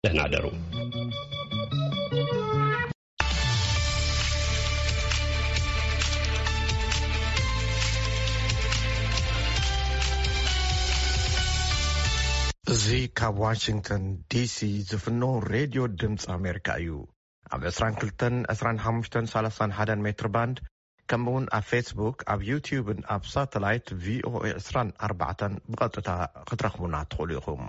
ደህና ደሩ። እዚ ካብ ዋሽንግተን ዲሲ ዝፍኖ ሬድዮ ድምፂ ኣሜሪካ እዩ። ኣብ ዕስራን ክልተን፣ ዕስራን ሓሙሽተን፣ ሰላሳን ሓደን ሜትር ባንድ፣ ከምኡ እውን ኣብ ፌስቡክ፣ ኣብ ዩትዩብን ኣብ ሳተላይት ቪኦኤ ዕስራን ኣርባዕተን ብቐጥታ ክትረኽቡና ትኽእሉ ኢኹም።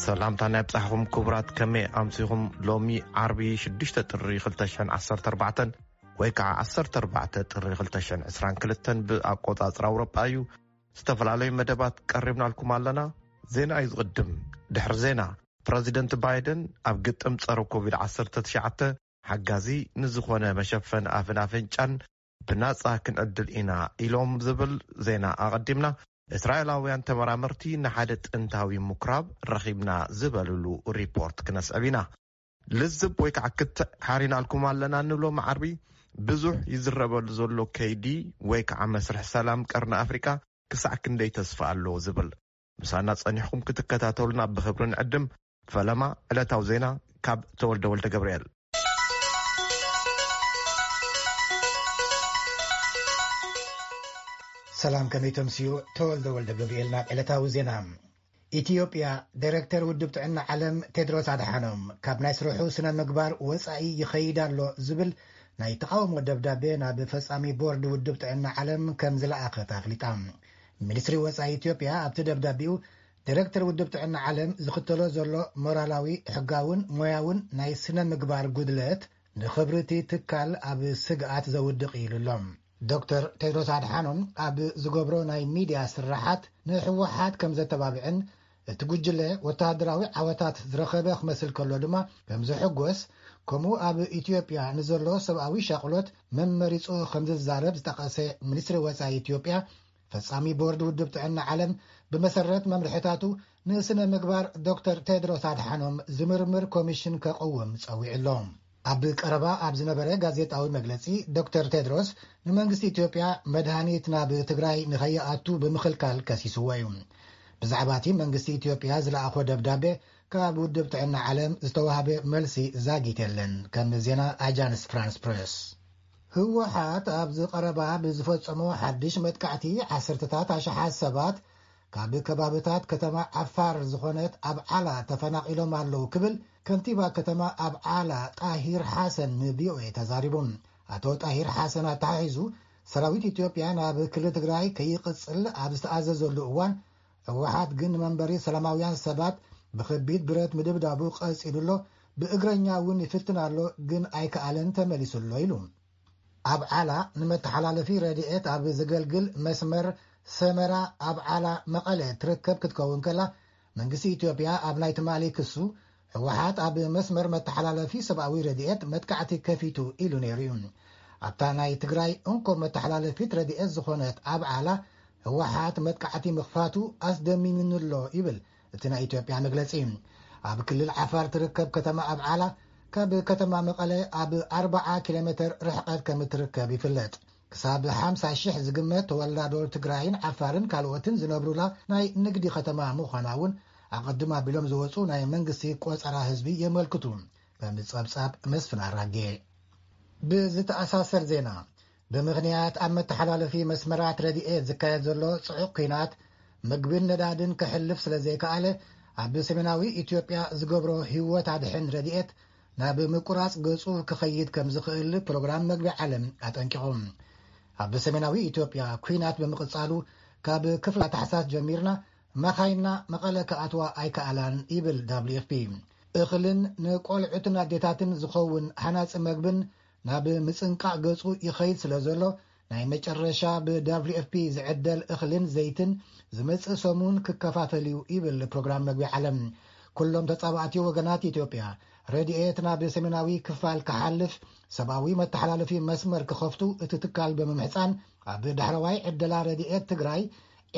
ሰላምታ ናይ ብጻሕኹም ክቡራት፣ ከመይ ኣምሲኹም? ሎሚ ዓርቢ ሽዱሽተ ጥሪ ክልተ ሽሕን ዓሰርተ ኣርባዕተን ወይ ከዓ ዓሰርተ ኣርባዕተ ጥሪ ክልተ ሽሕን ዕስራን ክልተን ብኣቆጻጽራ ኣውሮጳ እዩ። ዝተፈላለዩ መደባት ቀሪብናልኩም ኣለና። ዜና እዩ ዝቕድም። ድሕሪ ዜና፣ ፕረዚደንት ባይደን ኣብ ግጥም ጸረ ኮቪድ ዓሰርተ ትሽዓተ ሓጋዚ ንዝኾነ መሸፈን ኣፍን ኣፍንጫን ብናጻ ክንዕድል ኢና ኢሎም ዝብል ዜና ኣቐዲምና። እስራኤላውያን ተመራመርቲ ንሓደ ጥንታዊ ምኩራብ ረኺብና ዝበልሉ ሪፖርት ክነስዕብ ኢና። ልዝብ ወይ ከዓ ክትዕ ሓሪናልኩም ኣለና። ንብሎ መዓርቢ ብዙሕ ይዝረበሉ ዘሎ ከይዲ ወይ ከዓ መስርሕ ሰላም ቀርኒ ኣፍሪካ ክሳዕ ክንደይ ተስፋ ኣለዎ ዝብል ምሳና ጸኒሕኩም ክትከታተሉና ብኽብሪ ንዕድም። ፈለማ ዕለታዊ ዜና ካብ ተወልደ ወልደ ገብርኤል። ሰላም፣ ከመይ ተምስዩ? ተወልደ ወልደ ገብርኤል ናብ ዕለታዊ ዜና። ኢትዮጵያ፣ ዳይሬክተር ውድብ ጥዕና ዓለም ቴድሮስ ኣድሓኖም ካብ ናይ ስርሑ ስነ ምግባር ወጻኢ ይኸይድ ኣሎ ዝብል ናይ ተቓውሞ ደብዳቤ ናብ ፈጻሚ ቦርድ ውድብ ጥዕና ዓለም ከም ዝለኣኸት ኣፍሊጣ። ሚኒስትሪ ወጻኢ ኢትዮጵያ ኣብቲ ደብዳቤኡ፣ ዳይሬክተር ውድብ ጥዕና ዓለም ዝኽተሎ ዘሎ ሞራላዊ፣ ሕጋውን ሞያውን ናይ ስነ ምግባር ጉድለት ንኽብሪ እቲ ትካል ኣብ ስግኣት ዘውድቕ ኢሉ ኣሎ። ዶክተር ቴድሮስ ኣድሓኖም ኣብ ዝገብሮ ናይ ሚድያ ስራሓት ንህወሓት ከም ዘተባብዕን እቲ ጉጅለ ወተሃደራዊ ዓወታት ዝረኸበ ክመስል ከሎ ድማ ከም ዝሕጎስ፣ ከምኡ ኣብ ኢትዮጵያ ንዘሎ ሰብኣዊ ሻቕሎት መመሪጹ ከም ዝዛረብ ዝጠቐሰ ሚኒስትሪ ወጻኢ ኢትዮጵያ፣ ፈጻሚ ቦርድ ውድብ ጥዕና ዓለም ብመሰረት መምርሕታቱ ንስነ ምግባር ዶክተር ቴድሮስ ኣድሓኖም ዝምርምር ኮሚሽን ከቕውም ጸዊዑ ኣሎ። ኣብ ቀረባ ኣብ ዝነበረ ጋዜጣዊ መግለጺ፣ ዶክተር ቴድሮስ ንመንግስቲ ኢትዮጵያ መድሃኒት ናብ ትግራይ ንኸይኣቱ ብምኽልካል ከሲስዎ እዩ። ብዛዕባ እቲ መንግስቲ ኢትዮጵያ ዝለኣኾ ደብዳቤ ካብ ውድብ ጥዕና ዓለም ዝተዋህበ መልሲ ዛጊት የለን፣ ከም ዜና ኣጃንስ ፍራንስ ፕሬስ። ህወሓት ኣብዚ ቀረባ ብዝፈጸሞ ሓድሽ መጥቃዕቲ ዓሰርተታት ኣሽሓት ሰባት ካብ ከባብታት ከተማ ዓፋር ዝኾነት ኣብዓላ ተፈናቒሎም ኣለዉ ክብል ከንቲባ ከተማ ኣብዓላ ጣሂር ሓሰን ንቪኦኤ ተዛሪቡ። ኣቶ ጣሂር ሓሰን ኣተሓሒዙ፣ ሰራዊት ኢትዮጵያ ናብ ክልል ትግራይ ከይቕጽል ኣብ ዝተኣዘዘሉ እዋን፣ ህወሓት ግን ንመንበሪ ሰላማውያን ሰባት ብኸቢድ ብረት ምድብዳቡ ቀጺሉ ኣሎ፣ ብእግረኛ እውን ይፍትን ኣሎ፣ ግን ኣይከኣለን፣ ተመሊሱ ኣሎ ኢሉ። ኣብዓላ ንመተሓላለፊ ረድኤት ኣብ ዘገልግል መስመር ሰመራ ኣብዓላ መቐለ ትርከብ ክትከውን ከላ፣ መንግስቲ ኢትዮጵያ ኣብ ናይ ትማሊ ክሱ፣ ህወሓት ኣብ መስመር መተሓላለፊ ሰብኣዊ ረድኤት መጥቃዕቲ ከፊቱ ኢሉ ነይሩ እዩ። ኣብታ ናይ ትግራይ እንኮ መተሓላለፊት ረድኤት ዝኾነት ኣብዓላ ህወሓት መጥቃዕቲ ምኽፋቱ ኣስደሚምኒ ኣሎ ይብል እቲ ናይ ኢትዮጵያ መግለጺ። ኣብ ክልል ዓፋር ትርከብ ከተማ ኣብዓላ ካብ ከተማ መቐለ ኣብ ኣርብዓ ኪሎ ሜትር ርሕቀት ከም እትርከብ ይፍለጥ። ክሳብ ሓምሳ ሽሕ ዝግመት ተወላዶ ትግራይን ዓፋርን ካልኦትን ዝነብሩላ ናይ ንግዲ ከተማ ምዃና እውን ኣቐድም ኣቢሎም ዝወፁ ናይ መንግስቲ ቆፀራ ህዝቢ የመልክቱ፣ ከም ጸብጻብ መስፍን ኣራጌ። ብዝተኣሳሰር ዜና፣ ብምኽንያት ኣብ መተሓላለፊ መስመራት ረድኤት ዝካየድ ዘሎ ጽዑቕ ኲናት፣ ምግብን ነዳድን ክሕልፍ ስለ ዘይከኣለ፣ ኣብ ሰሜናዊ ኢትዮጵያ ዝገብሮ ህይወት ኣድሕን ረድኤት ናብ ምቁራጽ ገጹ ክኸይድ ከም ዝኽእል ፕሮግራም መግቢ ዓለም ኣጠንቂቑ። ኣብ ሰሜናዊ ኢትዮጵያ ኲናት ብምቕጻሉ፣ ካብ ክፍላ ታሕሳስ ጀሚርና መኻይንና መቐለ ክኣትዋ ኣይከኣላን ይብል ደብሊው ኤፍ ፒ። እኽልን ንቆልዑትን ኣዴታትን ዝኸውን ሃናጺ መግብን ናብ ምጽንቃቕ ገጹ ይኸይድ ስለ ዘሎ፣ ናይ መጨረሻ ብ ደብሊው ኤፍ ፒ ዝዕደል እኽልን ዘይትን ዝመጽእ ሰሙን ክከፋፈል እዩ ይብል ፕሮግራም መግቢ ዓለም። ኩሎም ተጻባእቲ ወገናት ኢትዮጵያ ረድኤት ናብ ሰሜናዊ ክፋል ክሓልፍ፣ ሰብኣዊ መተሓላለፊ መስመር ክኸፍቱ እቲ ትካል ብምምሕጻን፣ ኣብ ዳሕረዋይ ዕደላ ረድኤት ትግራይ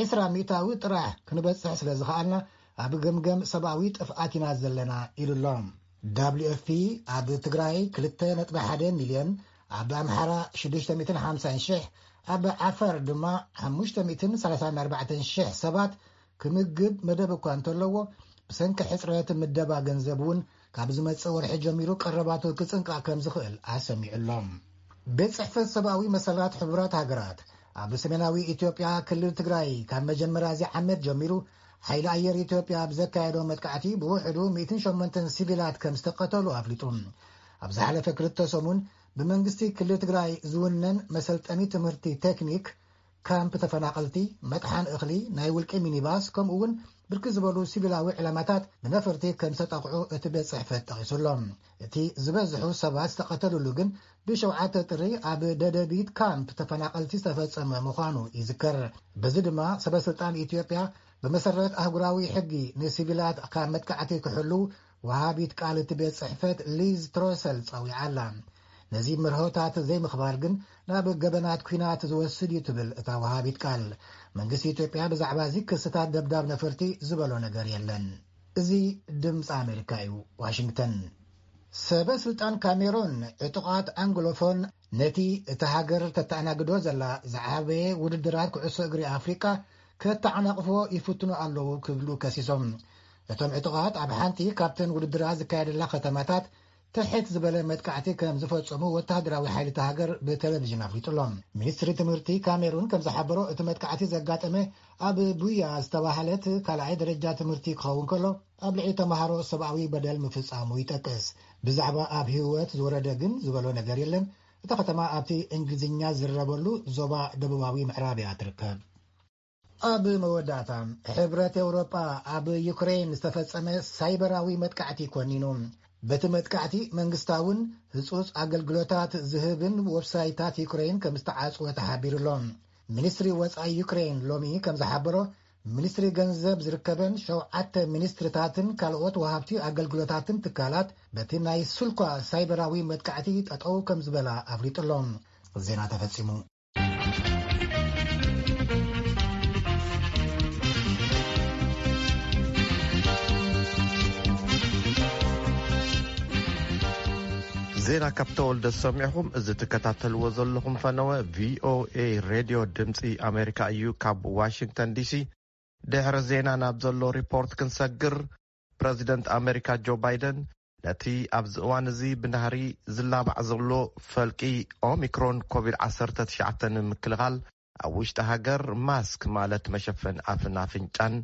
ዕስራ ሚእታዊ ጥራሕ ክንበጽሕ ስለ ዝኸኣልና፣ ኣብ ገምገም ሰብኣዊ ጥፍኣት ኢና ዘለና ኢሉ ኣሎ። ደብሊዩ ኤፍ ፒ ኣብ ትግራይ ክልተ ነጥቢ ሓደ ሚልዮን፣ ኣብ ኣምሓራ ሽዱሽተ ሚእትን ሓምሳን ሽሕ፣ ኣብ ዓፋር ድማ ሓሙሽተ ሚእትን ሰላሳን ኣርባዕተን ሽሕ ሰባት ክምግብ መደብ እኳ እንተለዎ፣ ብሰንኪ ሕጽረት ምደባ ገንዘብ እውን ካብ ዝመጽእ ወርሒ ጀሚሩ ቀረባቱ ክጽንቃ ከም ዝኽእል ኣሰሚዑ ኣሎ። ቤት ጽሕፈት ሰብኣዊ መሰላት ሕቡራት ሃገራት ኣብ ሰሜናዊ ኢትዮጵያ ክልል ትግራይ ካብ መጀመርያ እዚ ዓመት ጀሚሩ ሓይሊ ኣየር ኢትዮጵያ ኣብ ዘካየዶ መጥቃዕቲ ብውሕዱ ሚእትን ሸሞንተን ሲቪላት ከም ዝተቐተሉ ኣፍሊጡ። ኣብ ዝሓለፈ ክልተ ሰሙን ብመንግስቲ ክልል ትግራይ ዝውነን መሰልጠኒ ትምህርቲ ቴክኒክ፣ ካምፕ ተፈናቐልቲ፣ መጥሓን እኽሊ፣ ናይ ውልቂ ሚኒባስ፣ ከምኡ እውን ብርክት ዝበሉ ሲቪላዊ ዕላማታት ብነፈርቲ ከም ዝተጠቕዑ እቲ ቤት ጽሕፈት ጠቒሱ ኣሎ። እቲ ዝበዝሑ ሰባት ዝተቐተሉሉ ግን ብሸውዓተ ጥሪ ኣብ ደደቢት ካምፕ ተፈናቐልቲ ዝተፈጸመ ምዃኑ ይዝከር። በዚ ድማ ሰበ ስልጣን ኢትዮጵያ ብመሰረት ኣህጉራዊ ሕጊ ንሲቪላት ካብ መጥቃዕቲ ክሕሉ ወሃቢት ቃል እቲ ቤት ጽሕፈት ሊዝ ትሮሰል ጸዊዓ ኣላ። ነዚ መርሆታት ዘይምኽባር ግን ናብ ገበናት ኲናት ዝወስድ እዩ ትብል እታ ወሃቢት ቃል። መንግስቲ ኢትዮጵያ ብዛዕባ እዚ ክስታት ደብዳብ ነፈርቲ ዝበሎ ነገር የለን። እዚ ድምፂ ኣሜሪካ እዩ። ዋሽንግተን። ሰበ ስልጣን ካሜሩን ዕጡቓት ኣንግሎፎን ነቲ እታ ሃገር ተተኣናግዶ ዘላ ዝዓበየ ውድድራት ኩዕሶ እግሪ ኣፍሪቃ ከተዓናቕፎ ይፍትኑ ኣለዉ ክብሉ ከሲሶም። እቶም ዕጡቓት ኣብ ሓንቲ ካብተን ውድድራት ዝካየደላ ከተማታት ትሕት ዝበለ መጥቃዕቲ ከም ዝፈጸሙ ወተሃደራዊ ሓይሊ እታ ሃገር ብቴሌቪዥን ኣፍሊጡ ኣሎ። ሚኒስትሪ ትምህርቲ ካሜሩን ከም ዝሓበሮ፣ እቲ መጥቃዕቲ ዘጋጠመ ኣብ ቡያ ዝተባህለት ካልኣይ ደረጃ ትምህርቲ ክኸውን ከሎ፣ ኣብ ልዕሊ ተምሃሮ ሰብኣዊ በደል ምፍጻሙ ይጠቅስ። ብዛዕባ ኣብ ህይወት ዝወረደ ግን ዝበሎ ነገር የለን። እታ ከተማ ኣብቲ እንግሊዝኛ ዝረበሉ ዞባ ደቡባዊ ምዕራብ እያ ትርከብ። ኣብ መወዳእታ፣ ሕብረት ኤውሮጳ ኣብ ዩክሬን ዝተፈጸመ ሳይበራዊ መጥቃዕቲ ኮኒኑ። በቲ መጥቃዕቲ መንግስታውን ህጹጽ ኣገልግሎታት ዝህብን ዌብሳይታት ዩክሬን ከም ዝተዓጽወ ተሓቢሩ ኣሎ። ሚኒስትሪ ወጻኢ ዩክሬን ሎሚ ከም ዝሓበሮ፣ ሚኒስትሪ ገንዘብ ዝርከበን ሸውዓተ ሚኒስትርታትን ካልኦት ወሃብቲ ኣገልግሎታትን ትካላት በቲ ናይ ስልኳ ሳይበራዊ መጥቃዕቲ ጠጠው ከም ዝበላ ኣፍሊጡ ኣሎ። ዜና ተፈጺሙ። ዜና ካብ ተወልደ ሰሚዕኹም። እዚ ትከታተልዎ ዘለኹም ፈነወ ቪ ኦ ኤ ሬድዮ ድምፂ ኣሜሪካ እዩ። ካብ ዋሽንግተን ዲ ሲ ድሕሪ ዜና ናብ ዘሎ ሪፖርት ክንሰግር፣ ፕረዚደንት ኣሜሪካ ጆ ባይደን ነቲ ኣብዚ እዋን እዚ ብናህሪ ዝላባዕ ዘሎ ፈልቂ ኦሚክሮን ኮቪድ ዓሰርተ ትሽዓተ ንምክልኻል ኣብ ውሽጢ ሃገር ማስክ፣ ማለት መሸፈን ኣፍን ኣፍንጫን፣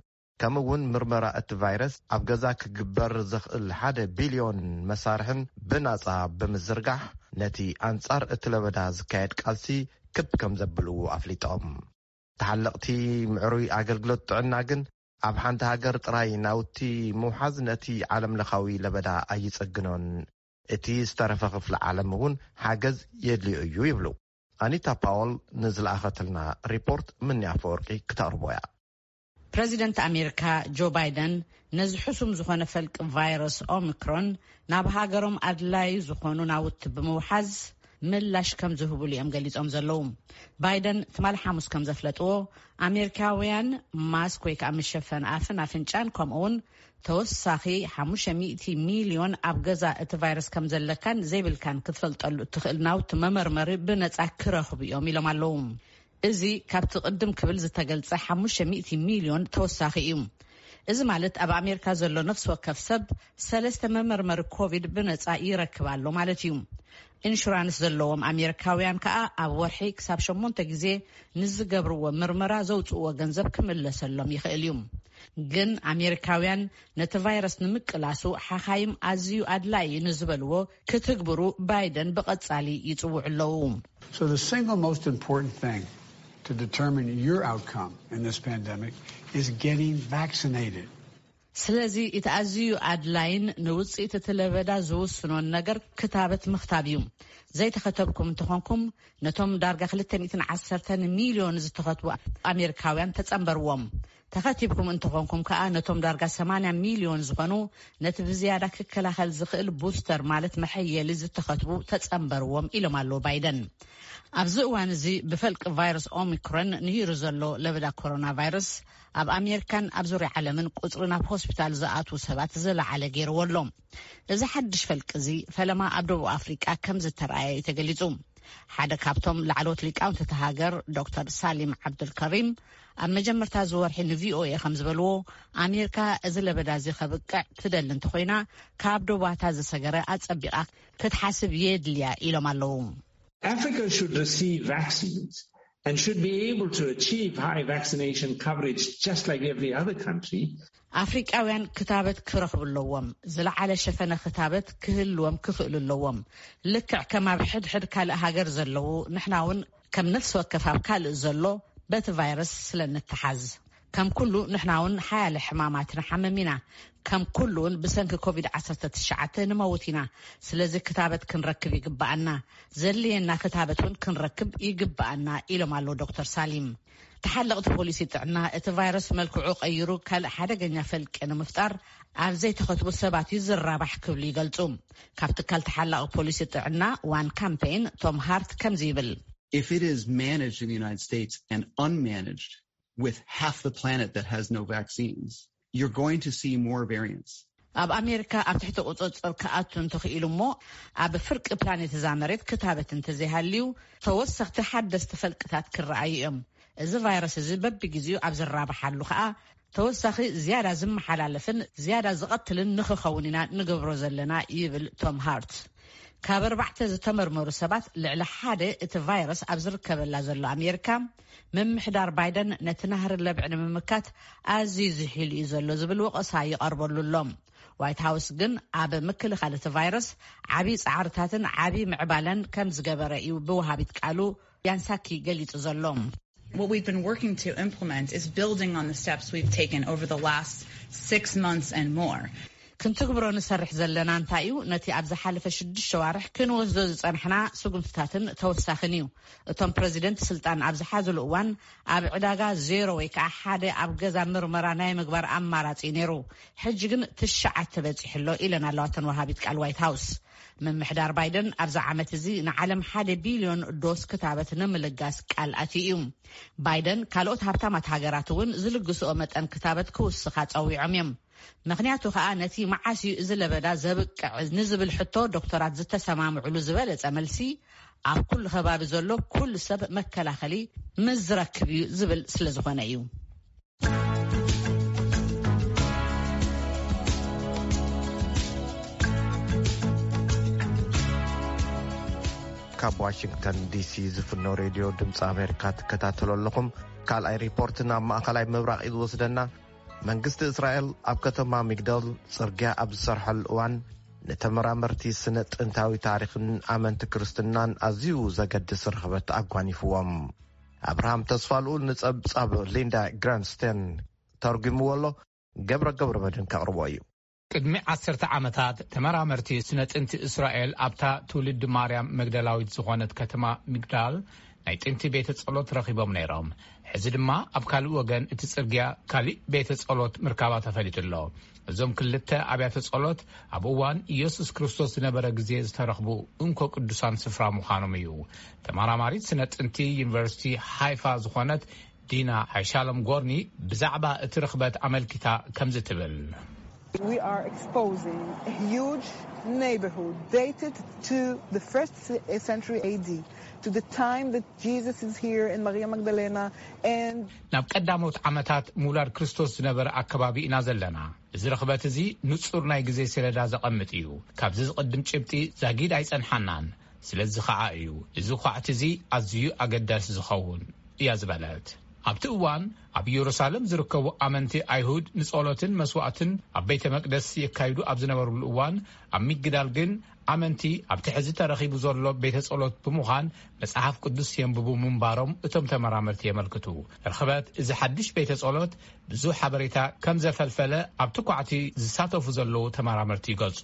ከምኡ እውን ምርመራ እቲ ቫይረስ ኣብ ገዛ ክግበር ዘኽእል ሓደ ቢልዮን መሳርሕን ብናጻ ብምዝርጋሕ፣ ነቲ ኣንጻር እቲ ለበዳ ዝካየድ ቃልሲ ክብ ከም ዘብልዎ ኣፍሊጦም። ተሓለቕቲ ምዕሩይ ኣገልግሎት ጥዕና ግን ኣብ ሓንቲ ሃገር ጥራይ ናውቲ ምውሓዝ ነቲ ዓለምለኻዊ ለበዳ ኣይጸግኖን። እቲ ዝተረፈ ክፍሊ ዓለም እውን ሓገዝ የድልዮ እዩ ይብሉ። ኣኒታ ፓወል ንዝለኣኸትልና ሪፖርት ምኒ ኣፈወርቂ ክተቕርቦ እያ። ፕረዚደንት ኣሜሪካ ጆ ባይደን ነዚ ሕሱም ዝኾነ ፈልቂ ቫይረስ ኦሚክሮን ናብ ሃገሮም ኣድላዪ ዝኾኑ ናውቲ ብምውሓዝ ምላሽ ከም ዝህቡሉ እዮም ገሊጾም ዘለዉ። ባይደን ትማሊ ሓሙስ ከም ዘፍለጥዎ፣ ኣሜሪካውያን ማስክ ወይ ከዓ መሸፈን ኣፍን ኣፍንጫን፣ ከምኡ እውን ተወሳኺ ሓሙሽተ ሚእቲ ሚልዮን ኣብ ገዛ እቲ ቫይረስ ከም ዘለካን ዘይብልካን ክትፈልጠሉ እትኽእል ናውቲ መመርመሪ ብነጻ ክረኽቡ እዮም ኢሎም ኣለዉ። እዚ ካብቲ ቅድም ክብል ዝተገልጸ ሓሙሽተ ሚእቲ ሚልዮን ተወሳኺ እዩ። እዚ ማለት ኣብ ኣሜሪካ ዘሎ ነፍሲ ወከፍ ሰብ ሰለስተ መመርመሪ ኮቪድ ብነጻ ይረክብ ኣሎ ማለት እዩ። ኢንሹራንስ ዘለዎም ኣሜሪካውያን ከኣ ኣብ ወርሒ ክሳብ ሸሞንተ ግዜ ንዝገብርዎ ምርመራ ዘውጽእዎ ገንዘብ ክምለሰሎም ይኽእል እዩ። ግን ኣሜሪካውያን ነቲ ቫይረስ ንምቅላሱ ሓኻይም ኣዝዩ ኣድላዪ እዩ ንዝበልዎ ክትግብሩ ባይደን ብቐጻሊ ይጽውዑ ኣለዉ። So the single most important thing to determine your outcome in this pandemic is getting vaccinated. ስለዚ እቲ ኣዝዩ ኣድላይን ንውጽኢት እቲ ለበዳ ዝውስኖን ነገር ክታበት ምኽታብ እዩ። ዘይተኸተብኩም እንተኾንኩም፣ ነቶም ዳርጋ ክልተ ሚእትን ዓሰርተን ሚልዮን ዝተኸትቡ ኣሜሪካውያን ተጸንበርዎም። ተኸቲብኩም እንተኾንኩም ከኣ ነቶም ዳርጋ ሰማንያ ሚልዮን ዝኾኑ ነቲ ብዝያዳ ክከላኸል ዝኽእል ቡስተር ማለት መሐየሊ ዝተኸትቡ ተጸንበርዎም ኢሎም ኣለዉ ባይደን። ኣብዚ እዋን እዚ ብፈልቂ ቫይረስ ኦሚክሮን ንሂሩ ዘሎ ለበዳ ኮሮና ቫይረስ ኣብ ኣሜሪካን ኣብ ዙርያ ዓለምን ቁጽሪ ናብ ሆስፒታል ዝኣትዉ ሰባት ዝለዓለ ገይርዎ ኣሎ። እዚ ሓድሽ ፈልቂ እዚ ፈለማ ኣብ ደቡብ ኣፍሪቃ ከም ዝተረኣየ እዩ ተገሊጹ። ሓደ ካብቶም ላዕለዎት ሊቃውንቲ እታ ሃገር ዶክተር ሳሊም ዓብዱልከሪም ኣብ መጀመርታ እዚ ወርሒ ንቪኦኤ ከም ዝበልዎ፣ ኣሜሪካ እዚ ለበዳ እዚ ከብቅዕ ትደሊ እንተኾይና ካብ ዶባታ ዝሰገረ ኣጸቢቓ ክትሓስብ የድልያ ኢሎም ኣለዉ። Africa should receive vaccines and should be able to achieve high vaccination coverage just like every other country. ኣፍሪቃውያን ክታበት ክረኽቡ ኣለዎም። ዝለዓለ ሸፈነ ክታበት ክህልዎም ክኽእሉ ኣለዎም። ልክዕ ከም ኣብ ሕድሕድ ካልእ ሃገር ዘለዉ፣ ንሕና እውን ከም ነፍሲ ወከፍ ኣብ ካልእ ዘሎ በቲ ቫይረስ ስለ እንተሓዝ፣ ከም ኩሉ ንሕና እውን ሓያለ ሕማማት ንሓምም ኢና። ከም ኩሉ እውን ብሰንኪ ኮቪድ ዓሰርተ ትሽዓተ ንመውት ኢና። ስለዚ ክታበት ክንረክብ ይግብኣና። ዘድልየና ክታበት እውን ክንረክብ ይግብኣና ኢሎም ኣለዉ ዶክተር ሳሊም። ተሓለቕቲ ፖሊሲ ጥዕና እቲ ቫይረስ መልክዑ ቀይሩ ካልእ ሓደገኛ ፈልቂ ንምፍጣር ኣብ ዘይተኸትቡ ሰባት እዩ ዝራባሕ ክብሉ ይገልጹ። ካብ ትካል ተሓላቒ ፖሊሲ ጥዕና ዋን ካምፔይን ቶም ሃርት ከምዚ ይብል። If it is managed in the United States and unmanaged with half the planet that has no vaccines, you're going to see more variants. ኣብ ኣሜሪካ ኣብ ትሕቲ ቁፅፅር ክኣቱ እንተኽኢሉ እሞ ኣብ ፍርቂ ፕላኔት እዛ መሬት ክታበት እንተዘይሃልዩ ተወሰኽቲ ሓደስቲ ፈልቅታት ክረኣዩ እዮም። እዚ ቫይረስ እዚ በብግዜኡ ኣብ ዝራባሓሉ ከዓ ተወሳኺ ዝያዳ ዝመሓላለፍን ዝያዳ ዝቐትልን ንኽኸውን ኢና ንገብሮ ዘለና ይብል ቶም ሃርት። ካብ ኣርባዕተ ዝተመርመሩ ሰባት ልዕሊ ሓደ እቲ ቫይረስ ኣብ ዝርከበላ ዘሎ ኣሜሪካ ምምሕዳር ባይደን ነቲ ናህሪ ለብዒ ንምምካት ኣዝዩ ዝሒሉ እዩ ዘሎ ዝብል ወቐሳ ይቐርበሉ ኣሎ። ዋይት ሃውስ ግን ኣብ ምክልኻል እቲ ቫይረስ ዓብዪ ፃዕርታትን ዓብዪ ምዕባለን ከም ዝገበረ እዩ ብወሃቢት ቃሉ ያንሳኪ ገሊጹ ዘሎ። What we've been working to implement is building on the steps we've taken over the last six months and more. ክንትግብሮ ንሰርሕ ዘለና እንታይ እዩ? ነቲ ኣብ ዝሓለፈ ሽዱሽተ ዋርሕ ክንወስዶ ዝጸንሕና ስጉምትታትን ተወሳኽን እዩ። እቶም ፕረዚደንት ስልጣን ኣብ ዝሓዝሉ እዋን ኣብ ዕዳጋ ዜሮ ወይ ከዓ ሓደ ኣብ ገዛ ምርመራ ናይ ምግባር ኣማራጺ እዩ ነይሩ። ሕጂ ግን ትሽዓተ በጺሑ ኣሎ ኢለን ኣለዋ እተን ወሃቢት ቃል ዋይት ሃውስ። ምምሕዳር ባይደን ኣብዚ ዓመት እዚ ንዓለም ሓደ ቢልዮን ዶስ ክታበት ንምልጋስ ቃል ኣትዩ እዩ። ባይደን ካልኦት ሃብታማት ሃገራት እውን ዝልግስኦ መጠን ክታበት ክውስኻ ጸዊዖም እዮም። ምኽንያቱ ከኣ ነቲ መዓስ እዩ እዚ ለበዳ ዘብቅዕ ንዝብል ሕቶ ዶክተራት ዝተሰማምዕሉ ዝበለጸ መልሲ ኣብ ኩሉ ከባቢ ዘሎ ኩሉ ሰብ መከላኸሊ ምስ ዝረክብ እዩ ዝብል ስለ ዝኾነ እዩ። ካብ ዋሽንግተን ዲሲ ዝፍኖ ሬድዮ ድምፂ ኣሜሪካ ትከታተሉ ኣለኹም። ካልኣይ ሪፖርት ናብ ማእኸላይ ምብራቕ እዩ ዝወስደና። መንግስቲ እስራኤል ኣብ ከተማ ሚግዳል ፅርግያ ኣብ ዝሰርሐሉ እዋን ንተመራመርቲ ስነ ጥንታዊ ታሪኽን ኣመንቲ ክርስትናን ኣዝዩ ዘገድስ ርኽበት ኣጓኒፍዎም። ኣብርሃም ተስፋልኡል ንጸብጻብ ሊንዳ ግራንስቴን ተርጒምዎ ኣሎ። ገብረ ገብረ መድን ከቕርቦ እዩ። ቅድሚ ዓሰርተ ዓመታት ተመራመርቲ ስነ ጥንቲ እስራኤል ኣብታ ትውልዲ ማርያም መግደላዊት ዝኾነት ከተማ ሚግዳል ናይ ጥንቲ ቤተ ጸሎት ረኺቦም ነይሮም። ሕዚ ድማ ኣብ ካልእ ወገን እቲ ጽርግያ ካሊእ ቤተ ጸሎት ምርካባ ተፈሊጡ ኣሎ። እዞም ክልተ ኣብያተ ጸሎት ኣብ እዋን ኢየሱስ ክርስቶስ ዝነበረ ግዜ ዝተረኽቡ እንኮ ቅዱሳን ስፍራ ምዃኖም እዩ። ተመራማሪት ስነ ጥንቲ ዩኒቨርሲቲ ሃይፋ ዝኾነት ዲና ኣይሻሎም ጎርኒ ብዛዕባ እቲ ርኽበት ኣመልኪታ ከምዚ ትብል። We are exposing a huge neighborhood dated to the first century A D, to the time that Jesus is here in Maria Magdalena, and ናብ ቀዳሞት ዓመታት ምውላድ ክርስቶስ ዝነበረ ኣከባቢ ኢና ዘለና። እዚ ርኽበት እዚ ንጹር ናይ ግዜ ሰሌዳ ዘቐምጥ እዩ። ካብዚ ዝቕድም ጭብጢ ዛጊድ ኣይጸንሓናን። ስለዚ ኸዓ እዩ እዚ ኳዕቲ እዚ ኣዝዩ ኣገዳሲ ዝኸውን እያ ዝበለት። ኣብቲ እዋን ኣብ ኢየሩሳሌም ዝርከቡ ኣመንቲ ኣይሁድ ንጸሎትን መስዋዕትን ኣብ ቤተ መቅደስ የካይዱ ኣብ ዝነበሩሉ እዋን ኣብ ሚግዳል ግን ኣመንቲ ኣብቲ ሕዚ ተረኺቡ ዘሎ ቤተ ጸሎት ብምዃን መጽሓፍ ቅዱስ የንብቡ ምንባሮም እቶም ተመራመርቲ የመልክቱ። ርኽበት እዚ ሓድሽ ቤተ ጸሎት ብዙሕ ሓበሬታ ከም ዘፈልፈለ ኣብቲ ኳዕቲ ዝሳተፉ ዘለዉ ተመራመርቲ ይገልጹ።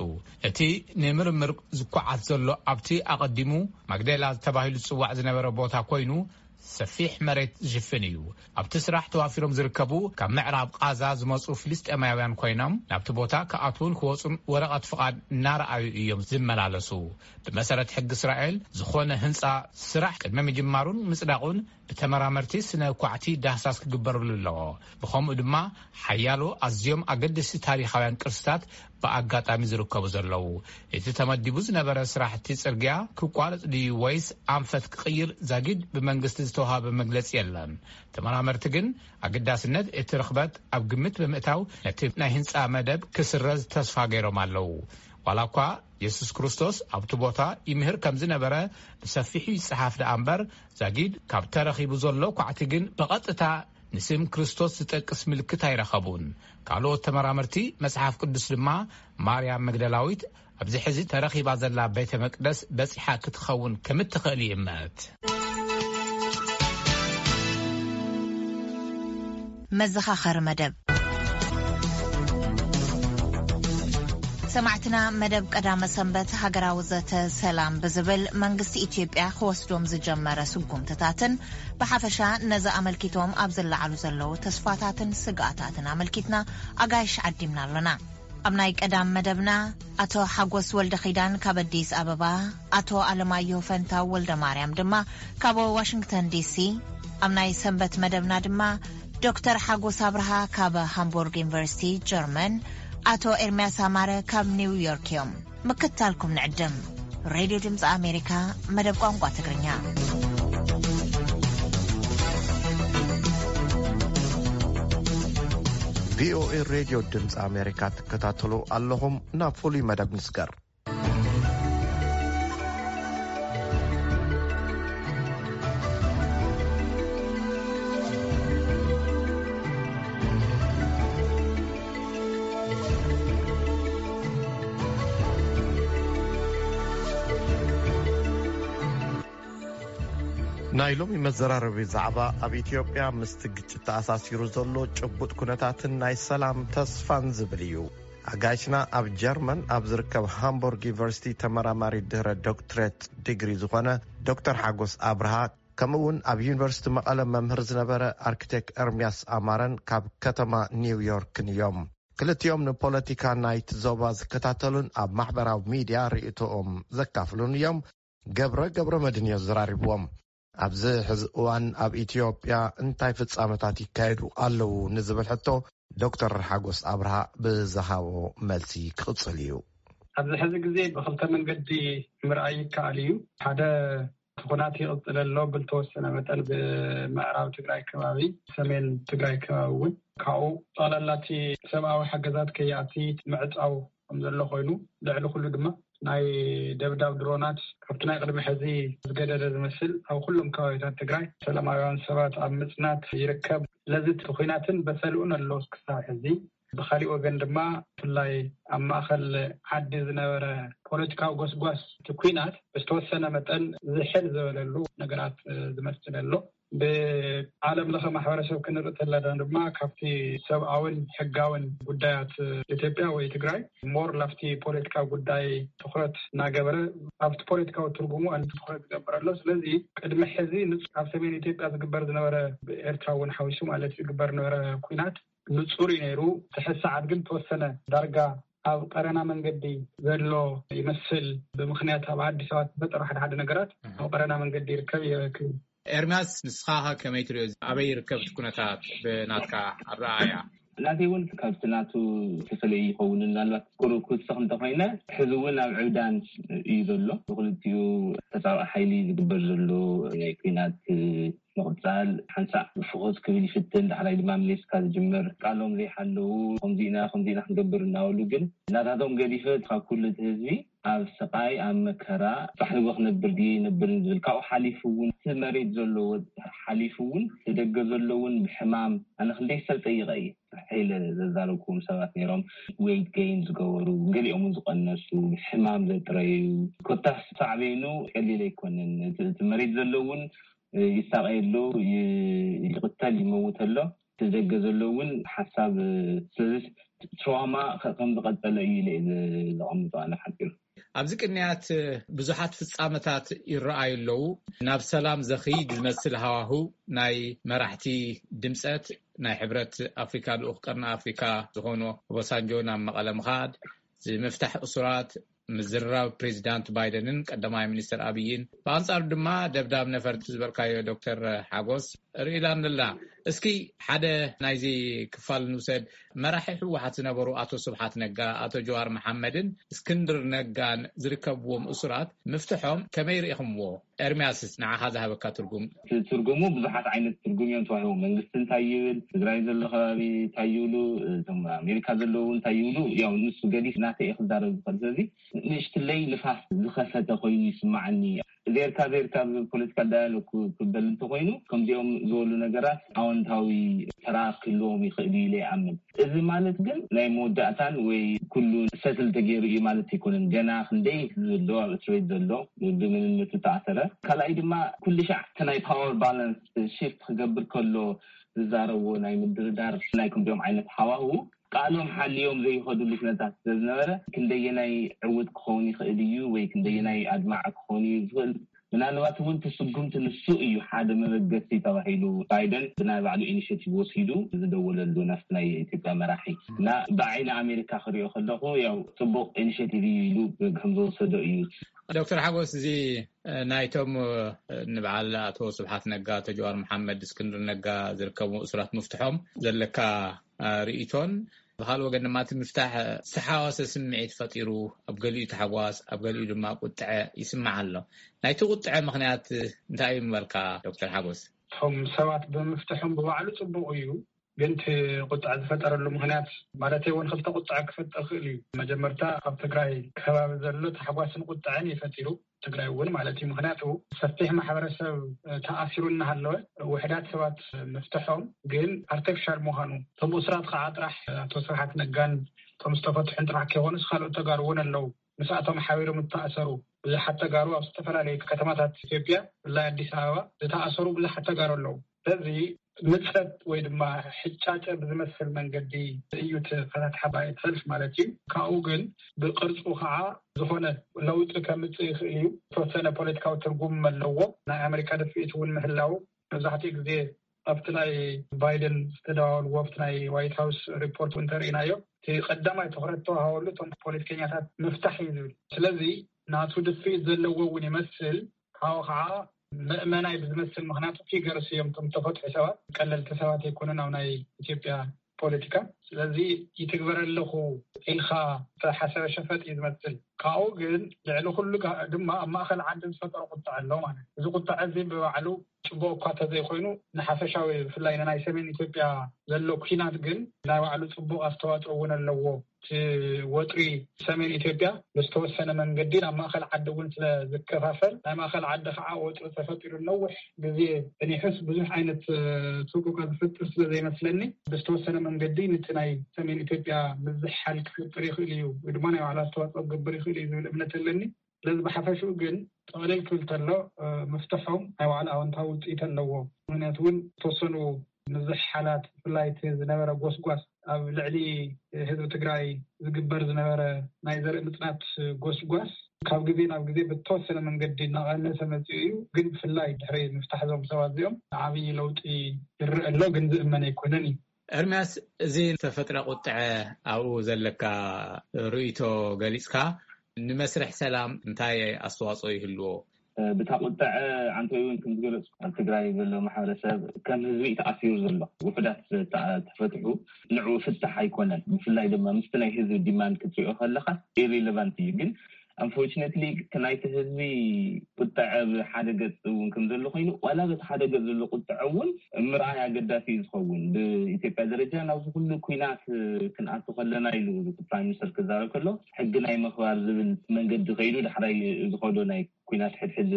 እቲ ንምርምር ዝኳዓት ዘሎ ኣብቲ ኣቐዲሙ ማግዴላ ተባሂሉ ዝጽዋዕ ዝነበረ ቦታ ኮይኑ ሰፊሕ መሬት ዝሽፍን እዩ። ኣብቲ ስራሕ ተዋፊሮም ዝርከቡ ካብ ምዕራብ ቓዛ ዝመጹ ፍልስጤማውያን ኮይኖም፣ ናብቲ ቦታ ክኣትዉን ክወጹን ወረቐት ፍቓድ እናረኣዩ እዮም ዝመላለሱ። ብመሰረት ሕጊ እስራኤል፣ ዝኾነ ህንጻ ስራሕ ቅድሚ ምጅማሩን ምጽዳቑን ብተመራመርቲ ስነ ኳዕቲ ዳህሳስ ክግበረሉ ኣለዎ። ብኸምኡ ድማ ሓያሎ ኣዝዮም ኣገደስቲ ታሪኻውያን ቅርስታት ብኣጋጣሚ ዝርከቡ ዘለዉ። እቲ ተመዲቡ ዝነበረ ስራሕቲ ጽርግያ ክቋረጽ ድዩ ወይስ ኣንፈት ክቕይር ዛጊድ ብመንግስቲ ዝተዋሃበ መግለጺ የለን። ተመራመርቲ ግን ኣገዳስነት እቲ ርኽበት ኣብ ግምት ብምእታው ነቲ ናይ ህንጻ መደብ ክስረዝ ተስፋ ገይሮም ኣለዉ። ዋላ እኳ የሱስ ክርስቶስ ኣብቲ ቦታ ይምህር ከም ዝነበረ ብሰፊሑ ይጸሓፍ ደኣ እምበር፣ ዛጊድ ካብ ተረኺቡ ዘሎ ኳዕቲ ግን ብቐጥታ ንስም ክርስቶስ ዝጠቅስ ምልክት ኣይረኸቡን። ካልኦት ተመራመርቲ መጽሓፍ ቅዱስ ድማ ማርያም መግደላዊት ኣብዚ ሕዚ ተረኺባ ዘላ ቤተ መቅደስ በጺሓ ክትኸውን ከም እትኽእል ይእመት። መዘኻኸሪ መደብ። ሰማዕትና፣ መደብ ቀዳመ ሰንበት ሃገራዊ ዘተ ሰላም ብዝብል መንግስቲ ኢትዮጵያ ክወስዶም ዝጀመረ ስጉምትታትን ብሓፈሻ ነዚ ኣመልኪቶም ኣብ ዝለዓሉ ዘለዉ ተስፋታትን ስግኣታትን ኣመልኪትና ኣጋይሽ ዓዲምና ኣሎና። ኣብ ናይ ቀዳም መደብና ኣቶ ሓጎስ ወልደ ኺዳን ካብ ኣዲስ ኣበባ፣ ኣቶ ኣለማየሁ ፈንታው ወልደ ማርያም ድማ ካብ ዋሽንግተን ዲሲ፣ ኣብ ናይ ሰንበት መደብና ድማ ዶክተር ሓጎስ ኣብርሃ ካብ ሃምቡርግ ዩኒቨርሲቲ ጀርመን፣ ኣቶ ኤርምያስ ኣማረ ካብ ኒው ዮርክ እዮም። ምክትታልኩም ንዕድም። ሬድዮ ድምፂ ኣሜሪካ፣ መደብ ቋንቋ ትግርኛ። ቪኦኤ ሬድዮ ድምፂ ኣሜሪካ ትከታተሉ ኣለኹም። ናብ ፍሉይ መደብ ንስገር። ናይ ሎሚ መዘራረቢ ዛዕባ ኣብ ኢትዮጵያ ምስቲ ግጭት ተኣሳሲሩ ዘሎ ጭቡጥ ኩነታትን ናይ ሰላም ተስፋን ዝብል እዩ። ኣጋይሽና ኣብ ጀርመን ኣብ ዝርከብ ሃምቡርግ ዩኒቨርሲቲ ተመራማሪ ድህረ ዶክትሬት ዲግሪ ዝኾነ ዶክተር ሓጎስ ኣብርሃ፣ ከምኡ እውን ኣብ ዩኒቨርሲቲ መቐለ መምህር ዝነበረ ኣርክቴክት ኤርምያስ ኣማረን ካብ ከተማ ኒው ዮርክን እዮም። ክልቲኦም ንፖለቲካ ናይቲ ዞባ ዝከታተሉን ኣብ ማሕበራዊ ሚድያ ርእይቶኦም ዘካፍሉን እዮም። ገብረ ገብረ መድህን እዩ ዘራሪብዎም። ኣብዚ ሕዚ እዋን ኣብ ኢትዮጵያ እንታይ ፍጻመታት ይካየዱ ኣለዉ ንዝብል ሕቶ ዶክተር ሓጎስ ኣብርሃ ብዝሃቦ መልሲ ክቕጽል እዩ። ኣብዚ ሕዚ ግዜ ብኽልተ መንገዲ ምርኣይ ይከኣል እዩ። ሓደ እቲ ኩናት ይቕጽል ኣሎ፣ ብልተወሰነ መጠን ብምዕራብ ትግራይ ከባቢ፣ ሰሜን ትግራይ ከባቢ እውን ካብኡ ጠቕላላ እቲ ሰብኣዊ ሓገዛት ከይኣቲ ምዕጻው ከም ዘሎ ኮይኑ፣ ልዕሊ ኩሉ ድማ ናይ ደብዳብ ድሮናት ካብቲ ናይ ቅድሚ ሕዚ ዝገደደ ዝመስል ኣብ ኩሎም ከባቢታት ትግራይ ሰላማውያን ሰባት ኣብ ምጽናት ይርከብ። ስለዚ እቲ ኩናትን በሰልኡን ኣሎ ክሳብ ሕዚ። ብኻሊእ ወገን ድማ ብፍላይ ኣብ ማእኸል ዓዲ ዝነበረ ፖለቲካዊ ጎስጓስ እቲ ኩናት ብዝተወሰነ መጠን ዝሕል ዝበለሉ ነገራት ዝመስል ኣሎ። ብዓለም ለኸ ማሕበረሰብ ክንርኢ ተለና ድማ ካብቲ ሰብኣውን ሕጋውን ጉዳያት ኢትዮጵያ ወይ ትግራይ ሞር ላፍቲ ፖለቲካዊ ጉዳይ ትኹረት እናገበረ ኣብቲ ፖለቲካዊ ትርጉሙ ኣን ትኹረት ዝገብር ኣሎ። ስለዚ ቅድሚ ሕዚ ንጹ ኣብ ሰሜን ኢትዮጵያ ዝግበር ዝነበረ ብኤርትራ እውን ሓዊሱ ማለት ዝግበር ነበረ ኩናት ንጹር እዩ ነይሩ። እቲ ሕዚ ሰዓት ግን ተወሰነ ዳርጋ ኣብ ቀረና መንገዲ ዘሎ ይመስል። ብምኽንያት ኣብ ዓዲ ሰባት ዝፈጠሩ ሓደ ሓደ ነገራት ኣብ ቀረና መንገዲ ይርከብ ይረክብ። ኤርምያስ፣ ንስኻ ከ ከመይ ትሪኦ? ኣበይ ይርከብ እቲ ኩነታት ብናትካ ኣረኣእያ? ናተይ እውን ካብቲ ናቱ ተፈለየ ይኸውን። ምናልባት ቁሩብ ክውስኽ እንተኾይነ፣ ሕዚ እውን ኣብ ዕብዳን እዩ ዘሎ። ብክልቲኡ ተጻባኢ ሓይሊ ዝግበር ዘሎ ናይ ኲናት ምቕጻል፣ ሓንሳእ ፍኹስ ክብል ይፍትን፣ ዳሕራይ ድማ መሊስካ ዝጅምር፣ ቃሎም ዘይሓለዉ፣ ከምዚ ኢና፣ ከምዚ ኢና ክንገብር እናበሉ፣ ግን ናታቶም ገዲፈ ካብ ኩሉ እቲ ህዝቢ ኣብ ስቓይ፣ ኣብ መከራ፣ ጻሕ ንግሆ ክነብር ድየ ይነብርን ዝብል፣ ካብኡ ሓሊፉ እውን እቲ መሬት ዘለዎ ሓሊፉ እውን እቲ ደገ ዘሎ እውን ብሕማም፣ ኣነ ክንደይ ሰብ ጠይቐ እየ። ኢለ ዘዛረብኩም ሰባት ነይሮም፣ ዌይት ገይን ዝገበሩ፣ ገሊኦም እውን ዝቐነሱ፣ ብሕማም ዘጥረዩ፣ ኮታስ ሳዕቤኑ ቀሊል ኣይኮነን። እቲ፣ እቲ መሬት ዘሎ እውን ይሳቐ ኣሎ፣ ይ-፣ ይቕተል፣ ይመውት ኣሎ። እቲ ደገ ዘሎ እውን ሓሳብ፣ ስለዚ ትራውማ ከ-፣ ከም ዝቐጸለ እዩ ኢለ እየ ዘ-፣ ዘቐምጦ ኣነ ሓጺሩ። ኣብዚ ቅንያት ብዙሓት ፍጻመታት ይረኣዩ ኣለዉ። ናብ ሰላም ዘኽይድ ዝመስል ሃዋህው ናይ መራሕቲ ድምጸት ናይ ሕብረት ኣፍሪካ ልኡኽ ቀርኒ ኣፍሪካ ዝኾኑ ኦባሳንጆ ናብ መቐለ ምኻድ፣ ዝምፍታሕ እሱራት ምዝርራብ ፕሬዚዳንት ባይደንን ቀዳማይ ሚኒስትር ኣብይን፣ ብኣንጻሩ ድማ ደብዳብ ነፈርቲ ዝበልካዮ ዶክተር ሓጎስ ርኢላንላ። እስኪ ሓደ ናይዚ ክፋል ንውሰድ። መራሒ ህወሓት ዝነበሩ ኣቶ ስብሓት ነጋ፣ ኣቶ ጀዋር መሓመድን እስክንድር ነጋን ዝርከብዎም እሱራት ምፍትሖም ከመይ ርኢኹምዎ? ኤርሚያስስ ንዓኻ ዝሃበካ ትርጉም? እቲ ትርጉሙ ብዙሓት ዓይነት ትርጉም እዮም ተዋሂቦም። መንግስቲ እንታይ ይብል፣ ትግራይ ዘሎ ከባቢ እንታይ ይብሉ፣ እቶም ኣሜሪካ ዘለዉ እንታይ ይብሉ፣ ያው ንሱ ገዲፍ ናተይ እየ ክዛረብ ዝኽእል። ስለዚ ንእሽትለይ ንፋስ ዝኸፈተ ኮይኑ ይስማዓኒ። ዜርካ ዜርካ ብ ፖለቲካል ዳያሎግ ክበል እንተኮይኑ፣ ከምዚኦም ዝበሉ ነገራት ኣወንታዊ ተራ ክህልዎም ይኽእል እዩ ኢለ ይኣምን። እዚ ማለት ግን ናይ መወዳእታን ወይ ኩሉ ሰትል ተገይሩ እዩ ማለት ኣይኮነን። ገና ክንደይ ዘሎ ኣብ እስር ቤት ዘሎ፣ ብመንነቱ ተኣሰረ። ካልኣይ ድማ ኩሉ ሻዕ እቲ ናይ ፓወር ባላንስ ሽፍት ክገብር ከሎ ዝዛረብዎ ናይ ምድርዳር ናይ ክንዲኦም ዓይነት ሃዋህው ቃሎም ሓልዮም ዘይኸድሉ ኩነታት ስለዝነበረ፣ ክንደየናይ ዕውት ክኸውን ይኽእል እዩ ወይ ክንደየናይ ኣድማዒ ክኸውን እዩ ዝኽእል፣ ምናልባት እውን እቲ ስጉምቲ ንሱ እዩ ሓደ መበገሲ ተባሂሉ፣ ባይደን ብናይ ባዕሉ ኢኒሽቲቭ ወሲዱ ዝደወለሉ ናብቲ ናይ ኢትዮጵያ መራሒ እና ብዓይኒ ኣሜሪካ ክሪኦ ከለኹ ያው ጽቡቕ ኢኒሽቲቭ እዩ ኢሉ ከም ዝወሰዶ እዩ። ዶክተር ሓጎስ፣ እዚ ናይቶም ንበዓል ኣቶ ስብሓት ነጋ፣ ኣቶ ጀዋር መሓመድ፣ እስክንድር ነጋ ዝርከቡ እሱራት ምፍትሖም ዘለካ ርእይቶን፣ ብካልእ ወገን ድማ እቲ ምፍታሕ ዝተሓዋወሰ ስምዒት ፈጢሩ፣ ኣብ ገሊኡ ታሕጓስ ኣብ ገሊኡ ድማ ቁጥዐ ይስማዕ ኣሎ። ናይቲ ቁጥዐ ምኽንያት እንታይ እዩ ምበልካ ዶክተር ሓጎስ? እቶም ሰባት ብምፍትሖም ብባዕሉ ጽቡቕ እዩ። ግን እቲ ቁጥዐ ዝፈጠረሉ ምኽንያት ማለት እውን ክልተ ቁጥዐ ክፈጥር ይኽእል እዩ። መጀመርታ ኣብ ትግራይ ከባቢ ዘሎ ታሕጓስን ቁጥዐን እዩ ፈጢሩ። ትግራይ እውን ማለት እዩ። ምክንያቱ ሰፊሕ ማሕበረሰብ ተኣሲሩ እናሃለወ ውሕዳት ሰባት ምፍትሖም ግን ኣርቲፊሻል ምዃኑ፣ እቶም እሱራት ከዓ ጥራሕ ኣቶ ስብሓት ነጋን እቶም ዝተፈትሑን ጥራሕ ከይኮኑስ ካልኦት ተጋሩ እውን ኣለዉ። ምስኣቶም ሓቢሮም ዝተኣሰሩ ብዙሓት ተጋሩ ኣብ ዝተፈላለዩ ከተማታት ኢትዮጵያ ብፍላይ ኣዲስ ኣበባ ዝተኣሰሩ ብዙሓት ተጋሩ ኣለዉ። ስለዚ ምጸት ወይ ድማ ሕጫጨ ብዝመስል መንገዲ እዩ እቲ ፈታትሓ ባይት ሰልፍ ማለት እዩ። ካብኡ ግን ብቅርጹ ከዓ ዝኾነ ለውጢ ከምጽእ ይኽእል እዩ። ዝተወሰነ ፖለቲካዊ ትርጉም ኣለዎ። ናይ ኣሜሪካ ድፍኢት እውን ምህላው መብዛሕትኡ ግዜ ኣብቲ ናይ ባይደን ዝተደዋወልዎ ኣብቲ ናይ ዋይት ሃውስ ሪፖርት እውን ተርእናዮ፣ እቲ ቀዳማይ ትኹረት ተዋሃበሉ እቶም ፖለቲከኛታት ምፍታሕ እዩ ዝብል። ስለዚ ናቱ ድፍኢት ዘለዎ እውን ይመስል። ካብኡ ከዓ መእመናይ ብዝመስል፣ ምክንያቱ ፊገርስ እዮም እቶም ተፈትሑ ሰባት፣ ቀለልቲ ሰባት ኣይኮኑን ኣብ ናይ ኢትዮጵያ ፖለቲካ። ስለዚ ይትግበረ ኣለኹ ኢልካ ዝተሓሰበ ሸፈጥ እዩ ዝመስል። ካብኡ ግን ልዕሊ ኩሉ ጋ- ድማ ኣብ ማእኸል ዓዲ ዝፈጠሮ ቁጥዐ ኣሎ ማለት እዩ። እዚ ቁጥዐ እዚ ብባዕሉ ጽቡቕ እኳ ተዘይኮይኑ፣ ንሓፈሻዊ ብፍላይ ንናይ ሰሜን ኢትዮጵያ ዘሎ ኲናት ግን ናይ ባዕሉ ጽቡቕ ኣስተዋጽኦ እውን ኣለዎ። እቲ ወጥሪ ሰሜን ኢትዮጵያ ብዝተወሰነ መንገዲ ናብ ማእኸል ዓዲ እውን ስለ ዝከፋፈል፣ ናይ ማእኸል ዓዲ ከዓ ወጥሪ ተፈጢሩ ነዊሕ ግዜ ጸኒሑስ ብዙሕ ዓይነት፣ እ፣ ሰቆቃ ዝፈጥር ስለ ዘይመስለኒ፣ ብዝተወሰነ መንገዲ ነቲ ናይ ሰሜን ኢትዮጵያ ምዝሕሓል ክፈጥር ይኽእል እዩ ወይ ድማ ናይ ባዕሉ ኣስተዋፅኦ ክገብር ይኽእል እዩ ዝብል እምነት ኣለኒ። ስለዚ ብሓፈሽኡ ግን ጠቕልል ክብል ተሎ፣ እ፣ ምፍትሖም ናይ ባዕሉ ኣወንታዊ ውፅኢት ኣለዎ። ምክንያቱ እውን ዝተወሰኑ ምዝሕሓላት፣ ብፍላይ እቲ ዝነበረ ጎስጓስ፣ ኣብ ልዕሊ ህዝቢ ትግራይ ዝግበር ዝነበረ ናይ ዘርኢ ምፅናት ጎስጓስ ካብ ግዜ ናብ ግዜ ብተወሰነ መንገዲ እናቐነሰ መፂኡ እዩ። ግን ብፍላይ ድሕሪ ምፍታሕ እዞም ሰባት እዚኦም ዓብዪ ለውጢ ይረአ ኣሎ፣ ግን ዝእመን ኣይኮነን እዩ። ኤርምያስ፣ እዚ ዝተፈጥረ ቁጥዐ ኣብኡ ዘለካ ርእይቶ ገሊፅካ፣ ንመስርሕ ሰላም እንታይ ኣስተዋፅኦ ይህልዎ? ብታ ቁጥዐ ኣንተ እውን ከም ዝገለጽኩ ኣብ ትግራይ ዘሎ ማሕበረሰብ ከም ህዝቢ እዩ ተኣሲሩ ዘሎ። ውሑዳት ተፈትሑ ንዕኡ ፍታሕ ኣይኮነን። ብፍላይ ድማ ምስቲ ናይ ህዝቢ ዲማንድ ክትሪኦ ከለኻ ኢሪሌቫንት እዩ። ግን ኣንፎርችነትሊ እቲ ናይቲ ህዝቢ ቁጥዐ ብሓደ ገጽ እውን ከም ዘሎ ኮይኑ፣ ዋላ በቲ ሓደ ገጽ ዘሎ ቁጥዐ እውን ምርኣይ ኣገዳሲ እዩ ዝኸውን። ብኢትዮጵያ ደረጃ ናብዚ ኩሉ ኲናት ክንኣቱ ከለና ኢሉ ፕራይም ሚኒስተር ክዛረብ ከሎ ሕጊ ናይ ምኽባር ዝብል መንገዲ ከይዱ ዳሕራይ ዝኸዶ ናይ ኲናት ሕድሕድ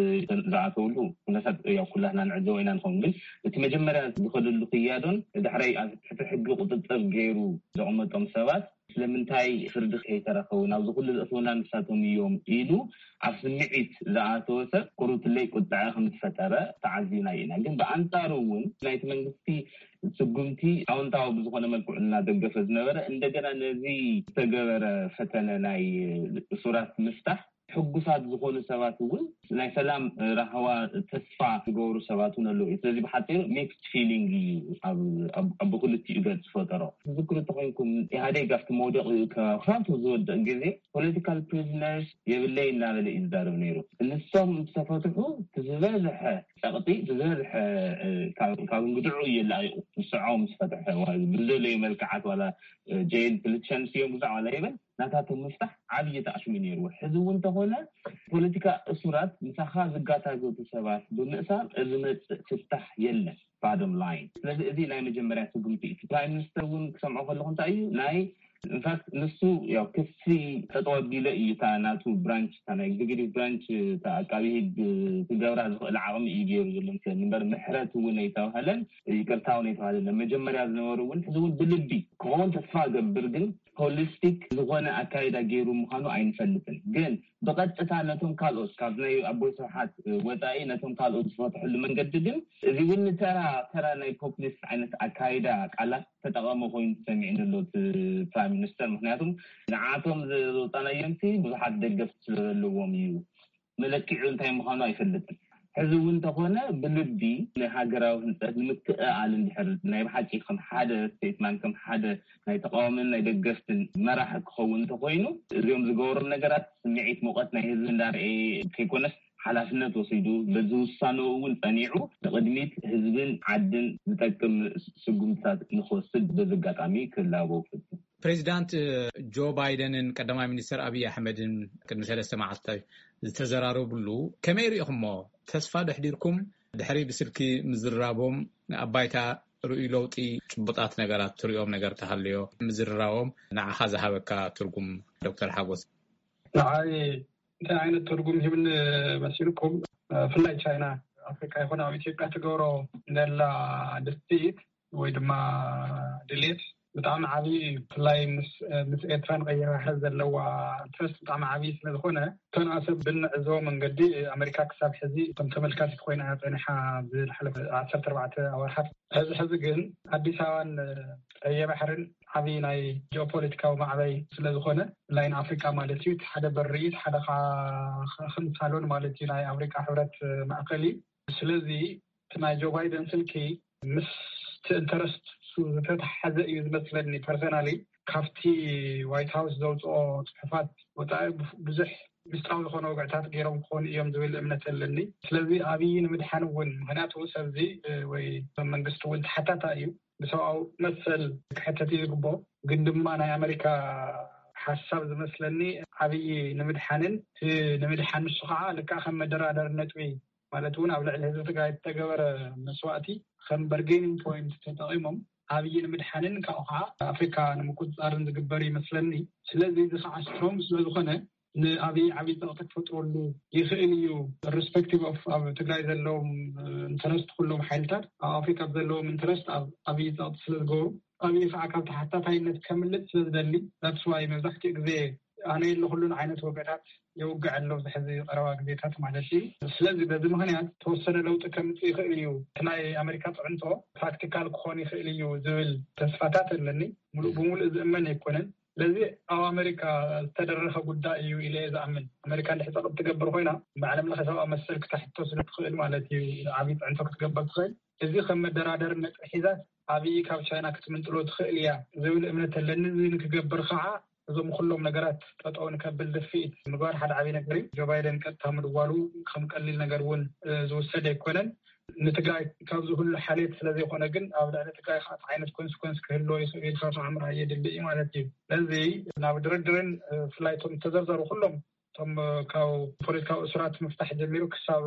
ዝኣተውሉ ኩነታት ያው ኩላትና ንዕዘቦ ኢና ንኸውን። ግን እቲ መጀመርያ ዝኸደሉ ክያዶን ዳሕራይ ኣብ ትሕቲ ሕጊ ቁጥጥር ገይሩ ዘቐመጦም ሰባት ስለምንታይ ፍርዲ ከይተረኸቡ ናብዚ ኩሉ ዘእተውና ንሳቶም እዮም ኢሉ ኣብ ስምዒት ዝኣተወ ሰብ ቁሩብ ትለይ ቁጥዐ ከም ዝፈጠረ ተዓዚብና ኢና። ግን ብኣንጻሩ እውን ናይቲ መንግስቲ ስጉምቲ ኣወንታዊ ብዝኾነ መልክዑ እናደገፈ ዝነበረ እንደገና ነዚ ዝተገበረ ፈተነ ናይ እሱራት ምፍታሕ ሕጉሳት ዝኾኑ ሰባት እውን ናይ ሰላም ራህዋ ተስፋ ዝገብሩ ሰባት እውን ኣለዉ። ስለዚ ብሓፂሩ ሚክስድ ፊሊንግ እዩ ኣብ ብክልቲኡ ገፅ ዝፈጠሮ። ትዝክሩ እንተኮይንኩም ኢህኣዴግ ኣብቲ መውደቂ ክሳብ ዝወድቕ ግዜ ፖለቲካል ፕሪዝነርስ የብለይ እናበለ እዩ ዝዛረብ ነይሩ። ንሶም ዝተፈትሑ ዝበዝሐ ፀቕጢ ዝበዝሐ ካብ እንግድዑ እየላቂቁ ንስዖም ዝፈትሐ ብዝደለዩ መልክዓት ዋላ ጀይል ፕሊትሸንስ እዮም ግዛዕ ዋላ ይበል ናታቶም ምፍታሕ ዓብዪ ተኣሽሙ ነይርዎ። ሕዚ እውን እንተኾነ ፖለቲካ እሱራት ምሳኻ ዝጋታገቱ ሰባት ብምእሳር ዝመፅእ ፍታሕ የለን። ባዶም ላይን ስለዚ እዚ ናይ መጀመርያ ስጉምቲ እዩ። ፕራይም ሚኒስተር እውን ክሰምዖ ከለኹ እንታይ እዩ ናይ ኢንፋክት ንሱ ያው ክሲ ጠጠው ኣቢለ እዩ እታ ናቱ ብራንች እታ ናይ ኤግዚኪቲቭ ብራንች እታ ኣቃቢ ህግ ክገብራ ዝኽእል ዓቕሚ እዩ ገይሩ ዘሎ ምስለኒ እምበር ምሕረት እውን ኣይተባህለን ይቅርታ እውን ኣይተባህለን። መጀመርያ ዝነበሩ እውን ሕዚ እውን ብልቢ ክኸውን ተስፋ ገብር ግን ሆሊስቲክ ዝኾነ ኣካይዳ ገይሩ ምዃኑ ኣይንፈልጥን። ግን ብቐጥታ ነቶም ካልኦት ካብ ናይ ኣቦይ ስብሓት ወፃኢ ነቶም ካልኦት ዝፈትሐሉ መንገዲ ግን እዚ እውን ተራ ተራ ናይ ፖፕሊስት ዓይነት ኣካይዳ ቃላት ተጠቐመ ኮይኑ ተሰሚዕኒ ኣሎ እቲ ፕራይም ሚኒስተር። ምክንያቱም ንዓቶም ዘውፃናዮምሲ ብዙሓት ደገፍቲ ስለዘለዎም እዩ። መለኪዑ እንታይ ምዃኑ ኣይፈልጥን። ሕዚ እውን እንተኾነ ብልቢ ንሃገራዊ ህንፀት ንምክእኣል እንድሕር ናይ ብሓቂ ከም ሓደ ስቴትማን ከም ሓደ ናይ ተቃዋምን ናይ ደገፍትን መራሒ ክኸውን እንተኮይኑ እዚኦም ዝገበሮም ነገራት ስምዒት ሙቐት ናይ ህዝቢ እንዳርኤ ከይኮነስ ሓላፍነት ወሲዱ በዚ ውሳንኡ እውን ጸኒዑ ንቕድሚት ህዝብን ዓድን ዝጠቅም ስጉምትታት ንክወስድ በዚ ኣጋጣሚ ክላበው ፈቱ። ፕሬዚዳንት ጆ ባይደንን ቀዳማይ ሚኒስትር ኣብይ ኣሕመድን ቅድሚ ሰለስተ መዓልታት ዝተዘራረብሉ ከመይ ርኢኹሞ? ተስፋ ደሕዲርኩም ድሕሪ ብስልኪ ምዝራቦም ኣብ ባይታ ርእዩ ለውጢ ጭቡጣት ነገራት ትሪኦም ነገር ተሃልዮ ምዝርራቦም ንዓኻ ዝሃበካ ትርጉም ዶክተር ሓጎስ? ንዓይ እንታይ ዓይነት ትርጉም ሂብኒ መሲልኩም? ብፍላይ ቻይና ኣፍሪካ ይኹን ኣብ ኢትዮጵያ ትገብሮ ዘላ ድስቲት ወይ ድማ ድሌት ብጣዕሚ ዓብዪ እዩ። ብፍላይ ምስ ኤርትራን ቀይሕ ባሕሪ ዘለዋ ኢንትረስት ብጣዕሚ ዓብዪ ስለዝኾነ እተን ኣሰብ ብንዕዘቦ መንገዲ ኣሜሪካ ክሳብ ሕዚ ከም ተመልካቲት ኮይና እያ ፀኒሓ ዝሓለፈ ዓሰርተ ኣርባዕተ ኣዋርሓት። ሕዚ ሕዚ ግን ኣዲስ ኣበባን ቀይሕ ባሕርን ዓብዪ ናይ ጂኦፖለቲካዊ ማዕበይ ስለዝኾነ ላይን ኣፍሪካ ማለት እዩ። እቲ ሓደ በሪ እቲ ሓደ ከዓ ከም ሳሎን ማለት እዩ ናይ ኣፍሪካ ሕብረት ማእከል እዩ። ስለዚ እቲ ናይ ጆ ባይደን ስልኪ ምስቲ ኢንተረስት እሱ ዝተተሓዘ እዩ ዝመስለኒ ፐርሰናሊ። ካብቲ ዋይት ሃውስ ዘውፅኦ ፅሑፋት ወፃኢ ብዙሕ ምስጢራዊ ዝኾነ ወግዕታት ገይሮም ክኾኑ እዮም ዝብል እምነት ኣለኒ። ስለዚ ኣብይ ንምድሓን እውን ምክንያቱ ሰብዚ ወይ መንግስቲ እውን ተሓታታ እዩ ብሰብኣዊ መሰል ክሕተት እዩ ዝግቦ። ግን ድማ ናይ ኣመሪካ ሓሳብ ዝመስለኒ ኣብይ ንምድሓንን ንምድሓን ንሱ ከዓ ልክዓ ከም መደራደሪ ነጥቢ ማለት እውን ኣብ ልዕሊ ህዝቢ ትግራይ ዝተገበረ መስዋእቲ ከም በርጌኒንግ ፖይንት ተጠቂሞም ኣብይ ንምድሓንን ካብኡ ከዓ ኣፍሪካ ንምቁፅፃርን ዝግበር ይመስለኒ። ስለዚ እዚ ከዓ ስትሮንግ ስለዝኮነ ንኣብይ ዓብይ ፀቕጢ ክፈጥረሉ ይኽእል እዩ። ሪስፔክቲቭ ኦፍ ኣብ ትግራይ ዘለዎም ኢንተረስት ኩሎም ሓይልታት ኣብ ኣፍሪካ ዘለዎም ኢንተረስት ኣብ ኣብይ ፀቕጢ ስለዝገብሩ ኣብይ ከዓ ካብ ተሓታታይነት ከምልጥ ስለዝደሊ that's why መብዛሕትኡ ግዜ ኣነ የለኩሉን ዓይነት ወገታት የውግዕ ኣሎ ኣብዚ ሕዚ ቀረባ ግዜታት ማለት እዩ። ስለዚ በዚ ምክንያት ተወሰነ ለውጢ ከምፅእ ይኽእል እዩ። እቲ ናይ ኣሜሪካ ፅዕንቶ ፕራክቲካል ክኾን ይኽእል እዩ ዝብል ተስፋታት ኣለኒ። ሙሉእ ብሙሉእ ዝእመን ኣይኮነን። ስለዚ ኣብ ኣሜሪካ ዝተደረኸ ጉዳይ እዩ ኢለ እየ ዝኣምን። ኣሜሪካ እንድሕር ፀቕጥ ትገብር ኮይና ብዓለም ለኸ ሰብኣዊ መሰል ክተሕቶ ስለ ትኽእል ማለት እዩ። ዓብዪ ፅዕንቶ ክትገበር ትኽእል። እዚ ከም መደራደሪ ነጥቢ ሒዛት ኣብይ ካብ ቻይና ክትምንጥሎ ትኽእል እያ ዝብል እምነት ኣለኒ። እዚ ንክገብር ከዓ እዞም ኩሎም ነገራት ጠጠው ንከብል ድፍኢት ምግባር ሓደ ዓብይ ነገር እዩ። ጆ ባይደን ቀጥታ ምድዋሉ ከም ቀሊል ነገር እውን ዝውሰድ ኣይኮነን። ንትግራይ ካብዚ ኩሉ ሓልየት ስለዘይኮነ ግን ኣብ ልዕሊ ትግራይ ከዓ ዓይነት ኮንስኮንስ ክህልዎ ይኽእል ኢልካ ከዓ ምርኣይ የድሊ እዩ ማለት እዩ። ስለዚ ናብ ድርድርን ብፍላይ እቶም ዝተዘርዘሩ ኩሎም እቶም ካብ ፖለቲካዊ እሱራት ምፍታሕ ጀሚሩ ክሳብ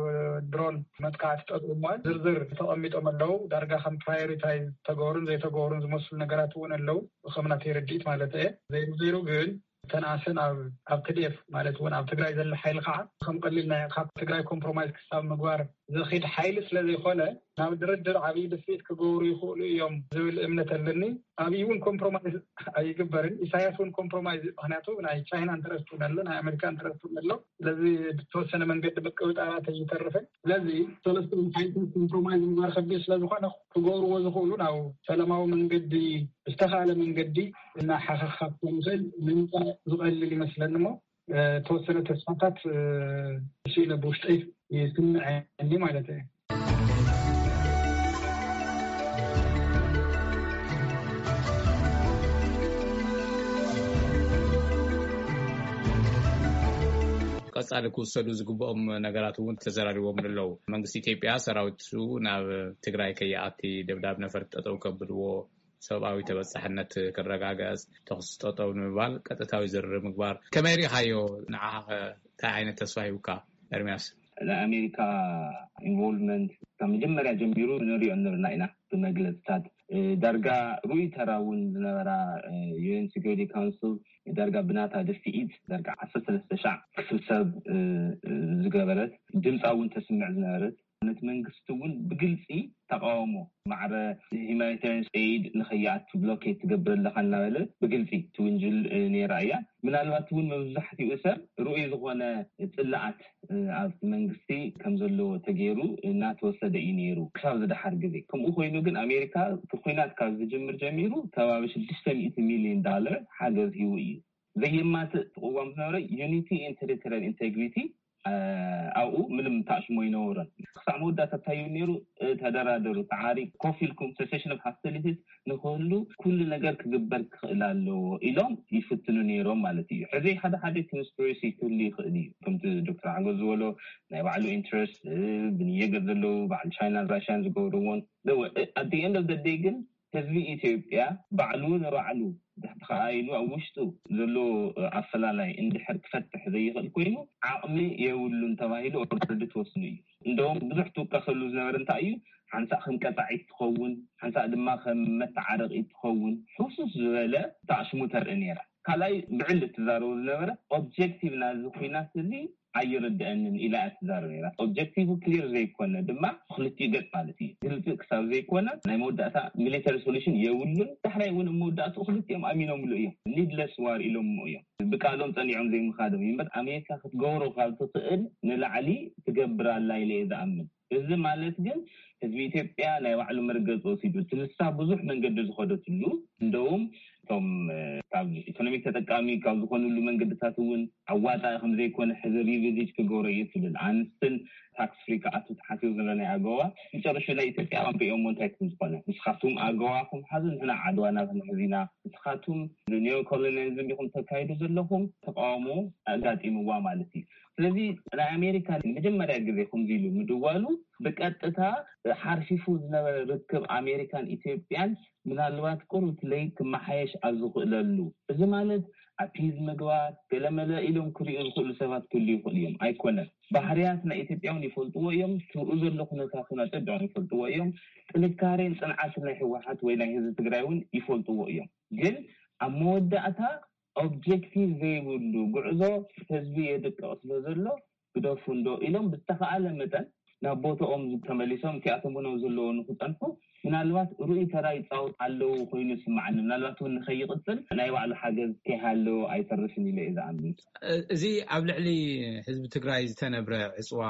ድሮን መጥቃዕቲ ጠጠው ምባል ዝርዝር ተቐሚጦም ኣለዉ። ዳርጋ ከም ፕራዮሪታይዝ ዝተገበሩን ዘይተገበሩን ዝመስሉ ነገራት እውን ኣለዉ። ከም ናተይ ርድኢት ማለት እየ። ዘይሩ ዘይሩ ግን እተን ኣሰን ኣብ ኣብ ቲ ዲ ኤፍ ማለት እውን ኣብ ትግራይ ዘሎ ሓይሊ ከዓ ከም ቀሊል ናይ ካብ ትግራይ ኮምፕሮማይዝ ክሳብ ምግባር ዘኺድ ሓይሊ ስለዘይኮነ ናብ ድርድር ዓብዪ ድፍኢት ክገብሩ ይኽእሉ እዮም ዝብል እምነት ኣለኒ። ኣብይ እውን ኮምፕሮማይዝ ኣይግበርን። ኢሳያስ እውን ኮምፕሮማይዝ ምክንያቱ ናይ ቻይና ኢንተረስት እውን ኣሎ፣ ናይ ኣሜሪካ ኢንተረስት እውን ኣሎ። ስለዚ ብተወሰነ መንገዲ ምቅብጣራት ኣይተርፍን። ስለዚ ሰለስተ ሓይልታት ኮምፕሮማይዝ ምግባር ከቢድ ስለዝኾነ ክገብርዎ ዝኽእሉ ናብ ሰላማዊ መንገዲ ብዝተኻለ መንገዲ እናሓኸኻብ ንኽእል ንምምፃእ ዝቐልል ይመስለኒ እሞ ተወሰነ ተስፋታት ስኢለ ብውሽጠይ ይስምዐኒ ማለት እዩ። ቀጻሊ ክውሰዱ ዝግብኦም ነገራት እውን ተዘራሪቦም ኣለዉ። መንግስቲ ኢትዮጵያ ሰራዊቱ ናብ ትግራይ ከይኣቲ፣ ደብዳብ ነፈርቲ ጠጠው ከብልዎ፣ ሰብኣዊ ተበጻሕነት ክረጋገጽ፣ ተኹሲ ጠጠው ንምባል ቀጥታዊ ዝርርብ ምግባር፣ ከመይ ርኢኻዮ? ንዓኻ እንታይ ዓይነት ተስፋ ሂብካ? ኤርሚያስ። ናይ ኣሜሪካ ኢንቮልቭመንት ካብ መጀመርያ ጀሚሩ ንሪኦ ነበርና ኢና። ብመግለፅታት ዳርጋ ርኡይ ተራ እውን ዝነበራ፣ ዩኤን ሴኩሪቲ ካውንስል ዳርጋ ብናታ ድፍኢት ዳርጋ ዓሰርተ ሰለስተ ሻዕ ክስብሰብ ዝገበረት፣ ድምፃ እውን ተስምዕ ዝነበረት፣ ነቲ መንግስቲ እውን ብግልፂ ተቃውሞ፣ ማዕረ ሂማኒታሪያን ኤድ ንኸይኣቱ ብሎኬት ትገብር ኣለካ እናበለ ብግልፂ ትውንጅል ነይራ እያ። ምናልባት እውን መብዛሕትኡ ሰብ ርኡይ ዝኾነ ፅላኣት ኣብቲ መንግስቲ ከም ዘለዎ ተገይሩ እናተወሰደ እዩ ነይሩ ክሳብ ዝደሓር ግዜ። ከምኡ ኮይኑ ግን ኣሜሪካ እቲ ኩናት ካብ ዝጅምር ጀሚሩ ከባቢ ሽዱሽተ ሚእቲ ሚልዮን ዳለር ሓገዝ ሂቡ እዩ። ዘየማትእ ቅዋም ዝነበረ ዩኒቲ ኤንድ ቴሪቶሪያል ኢንቴግሪቲ ኣብኡ ምንም ተኣሽሞ ኣይነበሮን። ክሳዕ መወዳእታ እንታይ እዩ ነይሩ? ተደራደሩ፣ ተዓሪ፣ ኮፍ ኢልኩም፣ ሴሴሽን ኦፍ ሆስቲሊቲስ ንክህሉ ኩሉ ነገር ክግበር ክኽእል ኣለዎ ኢሎም ይፍትኑ ነይሮም ማለት እዩ። ሕዚ ሓደ ሓደ ኮንስፒሬሲ ክህሉ ይኽእል እዩ። ከምቲ ዶክተር ሓጎስ ዝበሎ ናይ ባዕሉ ኢንትረስት፣ ብንየገር ዘለዉ በዓል ቻይናን ራሽያን ዝገብርዎን። ኣት ኤንድ ኦፍ ደይ ግን ህዝቢ ኢትዮጵያ ባዕሉ ንባዕሉ ተኸኣኢሉ ኣብ ውሽጡ ዘሎ ኣፈላላይ እንድሕር ክፈትሕ ዘይኽእል ኮይኑ ዓቕሚ የብሉን ተባሂሉ ኦልሬዲ ተወስኑ እዩ። እንደውም ብዙሕ ትውቀሰሉ ዝነበረ እንታይ እዩ? ሓንሳእ ከም ቀፃዒት ትኸውን፣ ሓንሳእ ድማ ከም መተዓረቒ ትኸውን፣ ሕውስስ ዝበለ ተኣሽሙ ተርኢ ነይራ። ካልኣይ ብዕል እትዛረቡ ዝነበረ ኦብጀክቲቭ ናዚ ኩናት እዚ ኣይርድአንን ኢላ እያ ትዛረብ ነይራ። ኦብጀክቲቭ ክሊር ዘይኮነ ድማ ክልቲኡ ገፅ ማለት እዩ። ግልፂ ክሳብ ዘይኮነ ናይ መወዳእታ ሚሊተሪ ሶሉሽን የብሉን። ዳሕራይ እውን መወዳእትኡ ክልቲኦም ኣሚኖምሉ እዮም። ኒድለስ ዋር ኢሎሞ እዮም። ብቃሎም ፀኒዖም ዘይምኻዶም እዩ እምበር ኣሜሪካ ክትገብሮ ካብ ትኽእል ንላዕሊ ትገብር ኣላ ኢለ እየ ዝኣምን። እዚ ማለት ግን ህዝቢ ኢትዮጵያ ናይ ባዕሉ መርገፂ ወሲዱ፣ እቲ ንሳ ብዙሕ መንገዲ ዝኸደትሉ፣ እንደውም እቶም ካብ ኢኮኖሚክ ተጠቃሚ ካብ ዝኾኑሉ መንገድታት እውን ኣዋፃኢ ከም ዘይኮነ ሕዚ ሪቪዚት ክገብሮ እዩ ትብል። ኣንስትን ታክስ ፍሪ ክኣቱ ተሓሲቡ ዘሎ ናይ ኣገዋ መጨረሻ ናይ ኢትዮጵያ ኣንሪኦሞ እንታይ ከም ዝኾነ፣ ንስኻትኩም ኣገዋኹም ሓዙ፣ ንሕና ዓድዋና ክንሕዝ ኢና፣ ንስኻትኩም ኒዮ ኮሎኒያሊዝም ኢኹም ተካይዱ ዘለኹም፣ ተቃውሞ ኣጋጢምዋ ማለት እዩ። ስለዚ ናይ ኣሜሪካ ንመጀመርያ ግዜ ከምዚ ኢሉ ምድዋሉ ብቀጥታ ሓርፊፉ ዝነበረ ርክብ ኣሜሪካን ኢትዮጵያን ምናልባት ቁሩብ ለይ ክመሓየሽ ኣብ ዝኽእለሉ፣ እዚ ማለት ኣፒዝ ምግባር ገለመለ ኢሎም ክሪኡ ዝኽእሉ ሰባት ክህሉ ይኽእሉ እዮም። ኣይኮነን፣ ባህርያት ናይ ኢትዮጵያ እውን ይፈልጥዎ እዮም። ትብኡ ዘሎ ኩነታት እውን ኣጸቢቖም ይፈልጥዎ እዮም። ጥንካሬን ጽንዓትን ናይ ህወሓት ወይ ናይ ህዝቢ ትግራይ እውን ይፈልጥዎ እዮም። ግን ኣብ መወዳእታ ኦብጀክቲቭ ዘይብሉ ጉዕዞ ህዝቢ የድቅቕ ስለ ዘሎ ግደፉ እንዶ ኢሎም ብዝተኻኣለ መጠን ናብ ቦታኦም ተመሊሶም እቲኣቶም እውን ኣብ ዘለዎ ንክፀንሑ ምናልባት ርኡይ ተራ ይፃወት ኣለዉ ኮይኑ ይስማዓኒ። ምናልባት እውን ንከይቕፅል ናይ ባዕሉ ሓገዝ ከይሃለዎ ኣይተርፍን ኢለ እየ ዝኣምን። እዚ ኣብ ልዕሊ ህዝቢ ትግራይ ዝተነብረ ዕፅዋ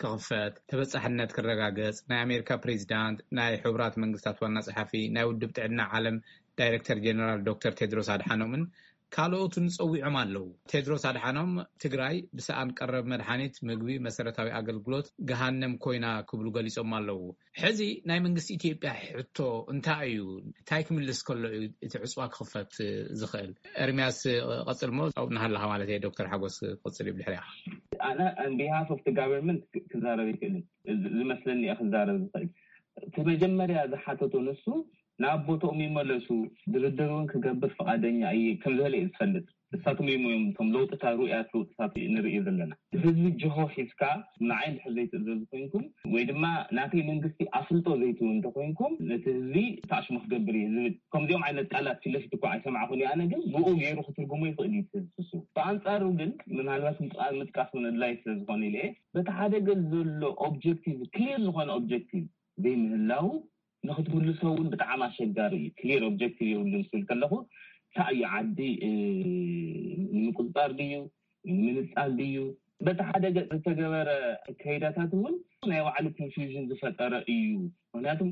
ክኽፈት፣ ተበፃሕነት ክረጋገፅ ናይ ኣሜሪካ ፕሬዚዳንት፣ ናይ ሕቡራት መንግስታት ዋና ፀሓፊ፣ ናይ ውድብ ጥዕና ዓለም ዳይሬክተር ጀነራል ዶክተር ቴድሮስ ኣድሓኖምን ካልኦቱን ጸዊዖም ኣለዉ። ቴድሮስ ኣድሓኖም ትግራይ ብሰኣን ቀረብ መድሓኒት፣ ምግቢ፣ መሰረታዊ ኣገልግሎት ገሃነም ኮይና ክብሉ ገሊጾም ኣለዉ። ሕዚ ናይ መንግስቲ ኢትዮጵያ ሕቶ እንታይ እዩ? እንታይ ክምልስ ከሎ እዩ እቲ ዕፅዋ ክኽፈት ዝኽእል? ኤርሚያስ ቀጽልሞ ኣብኡ እናሃለኻ ማለት እየ፣ ዶክተር ሓጎስ ክቕጽል እዩ ብድሕሪያ። ኣነ on behalf of the government ክዛረብ ይክእልን ዝመስለኒ እየ ክዛረብ ዝኽእል። እቲ መጀመርያ ዝሓተቶ ንሱ ናብ ቦታኦም ይመለሱ፣ ድርድር እውን ክገብር ፍቓደኛ እየ ከም ዝበለ እዩ ዝፈልጥ። እሳቶም እዮም እዮም እቶም ለውጥታት ርኡያት ለውጥታት ንርኢ ዘለና። ህዝቢ ጅሆ ሒዝካ ንዓይ እንድሕር ዘይትእዘዙ ኮይንኩም ወይ ድማ ናተይ መንግስቲ ኣፍልጦ ዘይትህቡ እንተኮይንኩም ነቲ ህዝቢ ተኣሽሙ ክገብር እዩ ዝብል ከምዚኦም ዓይነት ቃላት ፊት ለፊት እኳ ኣይሰማዕኹን እየ። ኣነ ግን ብኡ ገይሩ ክትርጉሞ ይኽእል እዩ እቲ ህዝቢ እሱ። ብኣንፃሩ ግን ምናልባት ምጥቃስ እውን ኣድላይ ስለ ዝኾነ ኢለ እየ በቲ ሓደ ገፅ ዘሎ ኦብጀክቲቭ ክሊር ዝኾነ ኦብጀክቲቭ ዘይምህላው ንክትምልሶ እውን ብጣዕሚ ኣሸጋሪ እዩ። ክሊር ኦብጀክቲቭ የብሉን ክብል ከለኹ እንታይ እዩ ዓዲ ንምቁፅፃር ድዩ ንምንፃል ድዩ በቲ ሓደ ገፅ ዝተገበረ ከይዳታት እውን ናይ ባዕሉ ኮንፊውዥን ዝፈጠረ እዩ። ምክንያቱም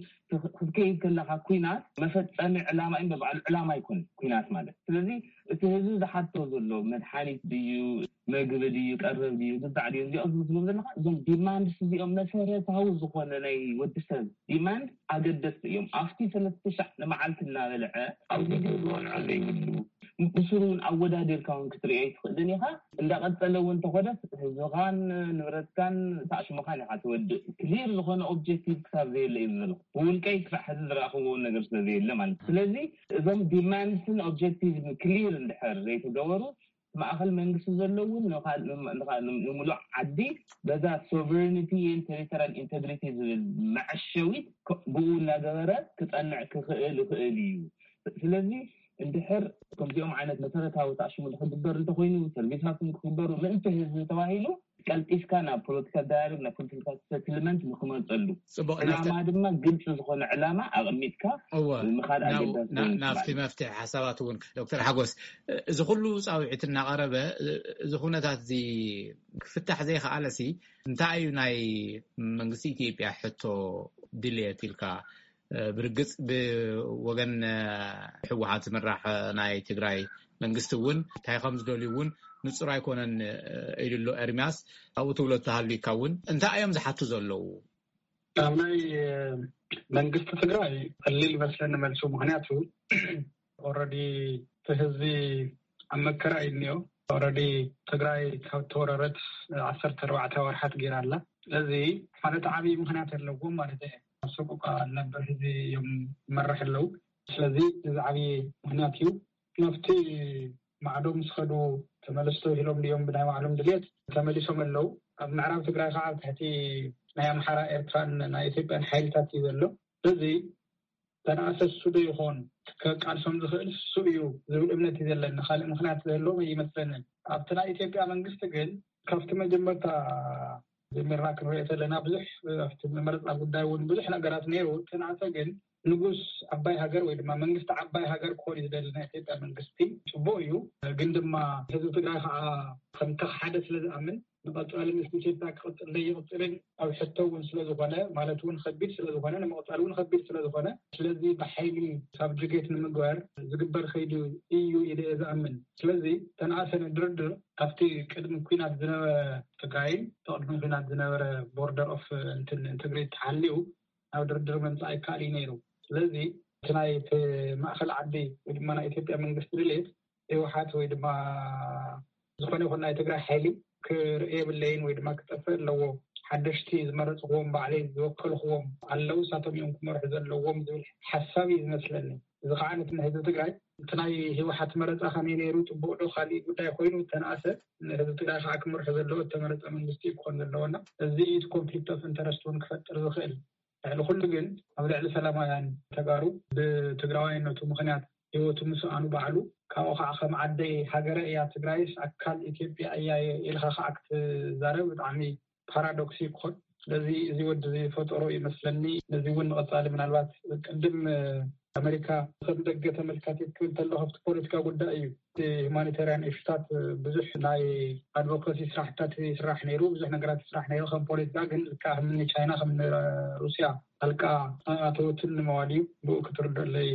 ክትከይድ ከለካ ኩናት መፈፀሚ ዕላማ እዩ፣ በባዕሉ ዕላማ ኣይኮነ ኩናት ማለት። ስለዚ እቲ ህዝቢ ዝሓቶ ዘሎ መድሓኒት ድዩ፣ መግቢ ድዩ፣ ቀረብ ድዩ፣ ግዛዕ ድዩ፣ እዚኦም ዝብሎም ዘለካ እዞም ዲማንድስ እዚኦም መሰረታዊ ዝኾነ ናይ ወዲ ሰብ ዲማንድ ኣገደስቲ እዮም። ኣብቲ ሰለስተ ሻዕ ንመዓልቲ እናበልዐ ኣብ ቪድዮ ዝበልዖ ዘይብሉ ምስሉ እውን ኣወዳዲርካ እውን ክትሪኦ ኣይትኽእልን ኢኻ። እንዳቐፀለ እውን እንተኾነ ህዝብኻን ንብረትካን ታሽሙኻን ኢኻ ትወድእ። ክሊር ዝኾነ ኦብጀክቲቭ ክሳብ ዘየለ እዩ ዘሎ። ብውልቀይ ክሳብ ሕዚ ዝረኣኽዎ ነገር ስለ ዘየለ ማለት እዩ። ስለዚ እዞም ዲማንድስን ኦብጀክቲቭን ክሊር እንድሕር ዘይተገበሩ ማእኸል መንግስቲ ዘለውን ንሙሉእ ዓዲ በዛ ሶቨርኒቲ ን ቴሪቶሪያል ኢንቴግሪቲ ዝብል መዐሸዊት ብኡ እናገበረ ክፀንዕ ክኽእል ይኽእል እዩ። ስለዚ እንድሕር ከምዚኦም ዓይነት መሰረታዊ ታሽሙ ክግበር እንተኮይኑ፣ ሰርቪሳትን ክግበሩ ምእንቲ ህዝቢ ተባሂሉ ቀልጢፍካ ናብ ፖለቲካል ዳያሎግ፣ ናብ ፖለቲካል ሰትልመንት ንክመፀሉ ጽቡቅ። ዕላማ ድማ ግልፂ ዝኾነ ዕላማ ኣቐሚጥካ እወ፣ ምኻድ ናብ- ኣገዳሲ ና- ኮይኑ ናብቲ ይስማዓኒ። መፍትሒ ሓሳባት እውን ዶክተር ሓጎስ፣ እዚ ኩሉ ፃውዒት እናቐረበ እዚ ኩነታት እዚ ክፍታሕ ዘይከኣለሲ እንታይ እዩ ናይ መንግስቲ ኢትዮጵያ ሕቶ ድልየት ኢልካ? ብርግፅ ብወገን ህወሓት ዝምራሕ ናይ ትግራይ መንግስቲ እውን እንታይ ከም ዝደልዩ እውን ንፁር ኣይኮነን ኢሉ ኣሎ ኤርሚያስ። ኣብኡ ትብሎ እተሃልዩካ እውን እንታይ እዮም ዝሓቱ ዘለዉ? ኣብ ናይ መንግስቲ ትግራይ ቀሊል ይመስለኒ መልሱ። ምክንያቱ ኦረዲ እቲ ህዝቢ ኣብ መከራ እዩ እኒኦ። ኦረዲ ትግራይ ካብ ተወረረት ዓሰርተ ኣርባዕተ ወርሓት ገይራ ኣላ። ስለዚ ማለት ዓብዪ ምክንያት ኣለዎም ማለት እዩ። ሰቆቃ ነበር ህዝቢ እዮም መራሕ ኣለዉ። ስለዚ እዚ ዓብዪ ምክንያት እዩ። ናብቲ ማዕዶ ምስ ኸዱ ተመለስቶ ኢሎም ድዮም ብናይ ባዕሎም ድልየት ተመሊሶም ኣለዉ። ኣብ ምዕራብ ትግራይ ከዓ ኣብ ትሕቲ ናይ ኣምሓራ ኤርትራን ናይ ኢትዮጵያን ሓይልታት እዩ ዘሎ። ስለዚ ተናእሰ እሱ ዶ ይኾን ከቃልሶም ዝኽእል እሱ እዩ ዝብል እምነት እዩ ዘለኒ። ካልእ ምክንያት ዝህልዎም ኣይመስለንን። ኣብቲ ናይ ኢትዮጵያ መንግስቲ ግን ካብቲ መጀመርታ ጀሚርና ክንሪኦ ዘለና ብዙሕ ኣብቲ መመረፃ ጉዳይ እውን ብዙሕ ነገራት ነይሩ። ተናእሰ ግን ንጉስ ዓባይ ሃገር ወይ ድማ መንግስቲ ዓባይ ሃገር ክኾን እዩ ዝደሊ ናይ ኢትዮጵያ መንግስቲ። ፅቡቅ እዩ። ግን ድማ ህዝቢ ትግራይ ከዓ ከምቲ ሓደ ስለ ዝኣምን ንቐፃሊ ምስ ኢትዮጵያ ክቕፅል ዘይቕፅልን ኣብ ሕቶ እውን ስለ ዝኾነ ማለት እውን ከቢድ ስለ ዝኾነ ንምቕፃል እውን ከቢድ ስለ ዝኾነ ስለዚ ብሓይሊ ሳብጅጌት ንምግባር ዝግበር ከይዱ እዩ ኢለ እየ ዝኣምን። ስለዚ ተናእሰ ንድርድር ኣብቲ ቅድሚ ኩናት ዝነበረ ትግራይን ቅድሚ ኩናት ዝነበረ ቦርደር ኦፍ እንትን ትግሪ ተሓልዩ ናብ ድርድር ምምፃእ ኣይከኣል እዩ ነይሩ። ስለዚ እቲ ናይ እቲ ማእኸል ዓዲ ወይ ድማ ናይ ኢትዮጵያ መንግስቲ ድሌት ህወሓት ወይ ድማ ዝኾነ ይኹን ናይ ትግራይ ሓይሊ ክርኢ የብለይን ወይ ድማ ክጠፍእ ኣለዎ። ሓደሽቲ ዝመረፅኽዎም ባዕለይ ዝወከልኽዎም ኣለዉ፣ እሳቶም እዮም ክመርሑ ዘለዎም ዝብል ሓሳብ እዩ ዝመስለኒ። እዚ ከዓ ነቲ ንህዝቢ ትግራይ እቲ ናይ ህወሓት መረፃ ከመይ ነይሩ፣ ፅቡቅ ዶ ካሊእ ጉዳይ ኮይኑ ተነኣሰ፣ ንህዝቢ ትግራይ ከዓ ክመርሑ ዘለዎ እተመረፀ መንግስቲ እዩ ክኾን ዘለዎና። እዚ እዩ እቲ ኮንፍሊክት ኦፍ ኢንተረስት እውን ክፈጥር ዝኽእል። ልዕሊ ኩሉ ግን ኣብ ልዕሊ ሰላማውያን ተጋሩ ብትግራዋይነቱ ምኽንያት ህይወቱ ምስኣኑ ባዕሉ ካብኡ ከዓ ከም ዓደይ ሃገረ እያ ትግራይስ ኣካል ኢትዮጵያ እያ ኢልካ ከዓ ክትዛረብ ብጣዕሚ ፓራዶክስ እዩ ክኾን። ስለዚ እዚ ወዲ እዚ ፈጠሮ ይመስለኒ። ነዚ እውን ንቐፃሊ ምናልባት ቅድም ኣሜሪካ ከም ደገ ተመልካቲት ክብል ተሎ ካብቲ ፖለቲካ ጉዳይ እዩ። እቲ ሁማኒታርያን ኢሹታት ብዙሕ ናይ ኣድቮካሲ ስራሕታት ይስራሕ ነይሩ፣ ብዙሕ ነገራት ይስራሕ ነይሩ። ከም ፖለቲካ ግን ልክዕ ከም ቻይና ከም ሩስያ ጣልቃ ኣተወትን ንምባል እዩ። ብኡ ክትርደለይ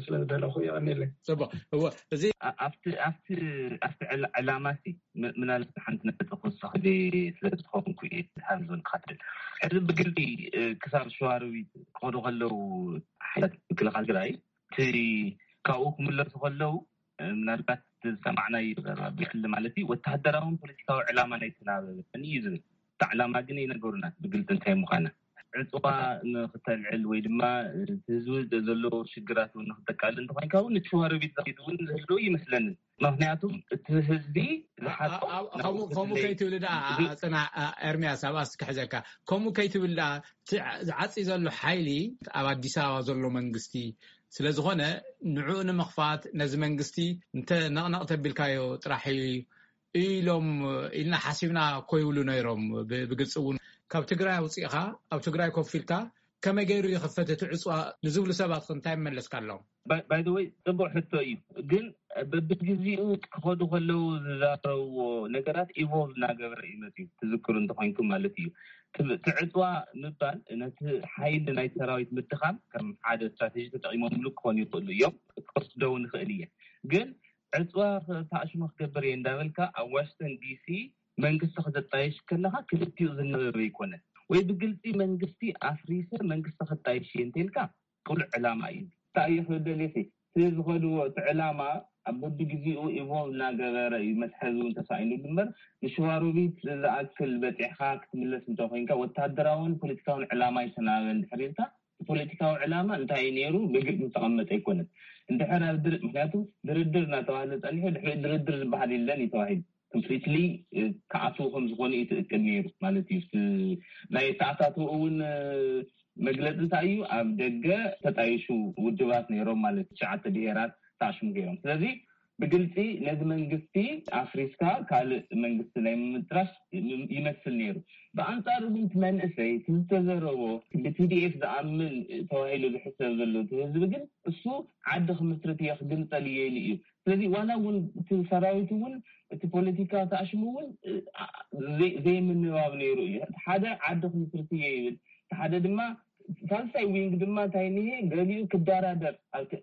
ስለ ዝደለኹ የቐኒለይ። ፅቡቅ። እወ፣ እዚ ኣብቲ ኣብቲ ኣብቲ ዕላማ ሲ ምናልባት ሓንቲ ነጥቢ ክወስኽ ስለ ዝኮንኩ እየ ሃምዞን ክኸትል። ሕዚ ብግልፂ ክሳብ ሸዋሮቢት ክኸዱ ከለዉ ሓይላት ምክልኻል ትግራይ እቲ ካብኡ ክምለሱ ከለዉ ምናልባት ዝሰማዕናይ ብሕሊ ማለት እዩ ወተሃደራውን ፖለቲካዊ ዕላማ ናይ ተናበበ እዩ ዝብል። እታ ዕላማ ግን ይነገሩና ብግልፂ እንታይ ምዃና። ዕፅዋ ንክተልዕል ወይ ድማ ህዝቢ ዘለዎ ሽግራት እውን ንክተቃልል እንተኮይንካ እውን እቲ ሸዋሮቢት ዛጊድ እውን ዝህልው ይመስለንን። ምክንያቱም እቲ ህዝቢ ዝሓቶም ከምኡ ከይትብል ዳ ጽና ኤርሚያስ ኣብኣስ ክሕዘካ። ከምኡ ከይትብል ዳ ዝዓፂ ዘሎ ሓይሊ ኣብ ኣዲስ ኣበባ ዘሎ መንግስቲ ስለዝኾነ ንዕኡ ንምኽፋት ነዚ መንግስቲ እንተ ነቕነቕ ተቢልካዮ ጥራሕ ኢሎም ኢልና ሓሲብና እኮ ይብሉ ነይሮም። ብግልፂ እውን ካብ ትግራይ ኣውፂእኻ ኣብ ትግራይ ኮፍ ኢልካ ከመይ ገይሩ ይኽፈት እቲ ዕፅዋ ንዝብሉ ሰባት እንታይ መለስካሎም? ባይደወይ ጽቡቅ ሕቶ እዩ። ግን በብግዜኡ ክኸዱ ከለዉ ዝዛረብዎ ነገራት ኢቮልቭ እናገበረ እዩ መፅዩ። ትዝክሩ እንተኮይንኩም ማለት እዩ። ትዕፅዋ ምባል ነቲ ሓይሊ ናይ ሰራዊት ምድኻም ከም ሓደ ስትራቴጂ ተጠቂሞምሉ ክኾኑ ይኽእሉ እዮም። ክወስደው ንኽእል እየ። ግን ዕፅዋ ተኣሽሞ ክገብር እየ እንዳበልካ ኣብ ዋሽንግተን ዲሲ መንግስቲ ክተጣየሽ ከለካ ክልቲኡ ዝነበበ ይኮነ ወይ ብግልፂ መንግስቲ ኣፍሪሰ መንግስቲ ክጣየሽ እየ እንተልካ ቅሉዕ ዕላማ እዩ። እንታይ እዩ ክብል ደሊኺ? እቲ ዝኸድዎ እቲ ዕላማ ኣብ በቢ ግዜኡ ኢቮልቭ እናገበረ እዩ መትሓዚ እውን ተሳኢኑ እምበር ንሽዋሮቢት ዝኣክል በፂሕካ ክትምለስ እንተኮይንካ ወታደራውን ፖለቲካውን ዕላማ ይተናበ እንድሕር ኢልካ እቲ ፖለቲካዊ ዕላማ እንታይ እዩ ነይሩ ብግልፂ ዝተቐመጠ ኣይኮነን። እንድሕር ኣብ ድር ምክንያቱ ድርድር እናተባህለ ፀኒሑ ድሕሪ ድርድር ዝበሃል የለን እዩ ተባሂሉ ኮምፕሊትሊ ክኣትዉ ከም ዝኾኑ እዩ ትእቅድ ነይሩ ማለት እዩ። ናይ ተኣታትኡ እውን መግለፂ እንታይ እዩ ኣብ ደገ ተጣይሹ ውድባት ነይሮም ማለት ትሽዓተ ብሄራት ተኣሽሙ ገይሮም ስለዚ ብግልፂ ነዚ መንግስቲ ኣፍሪስካ ካልእ መንግስቲ ናይ ምምጥራሽ ይመስል ነይሩ። ብኣንፃሩ ግን እቲ መንእሰይ እቲ ዝተዘረቦ ብቲዲኤፍ ዝኣምን ተባሂሉ ዝሕሰብ ዘሎ እቲ ህዝቢ ግን እሱ ዓዲ ክምስርት እየ ክግንፀል እየ ኢሉ እዩ። ስለዚ ዋላ እውን እቲ ሰራዊት እውን እቲ ፖለቲካ ተኣሽሙ እውን ዘይምንባብ ነይሩ እዩ። ሓደ ዓዲ ክምስርት እየ ይብል፣ ሓደ ድማ ሳልሳይ ዊንግ ድማ እንታይ ንሄ ገሊኡ ክደራደር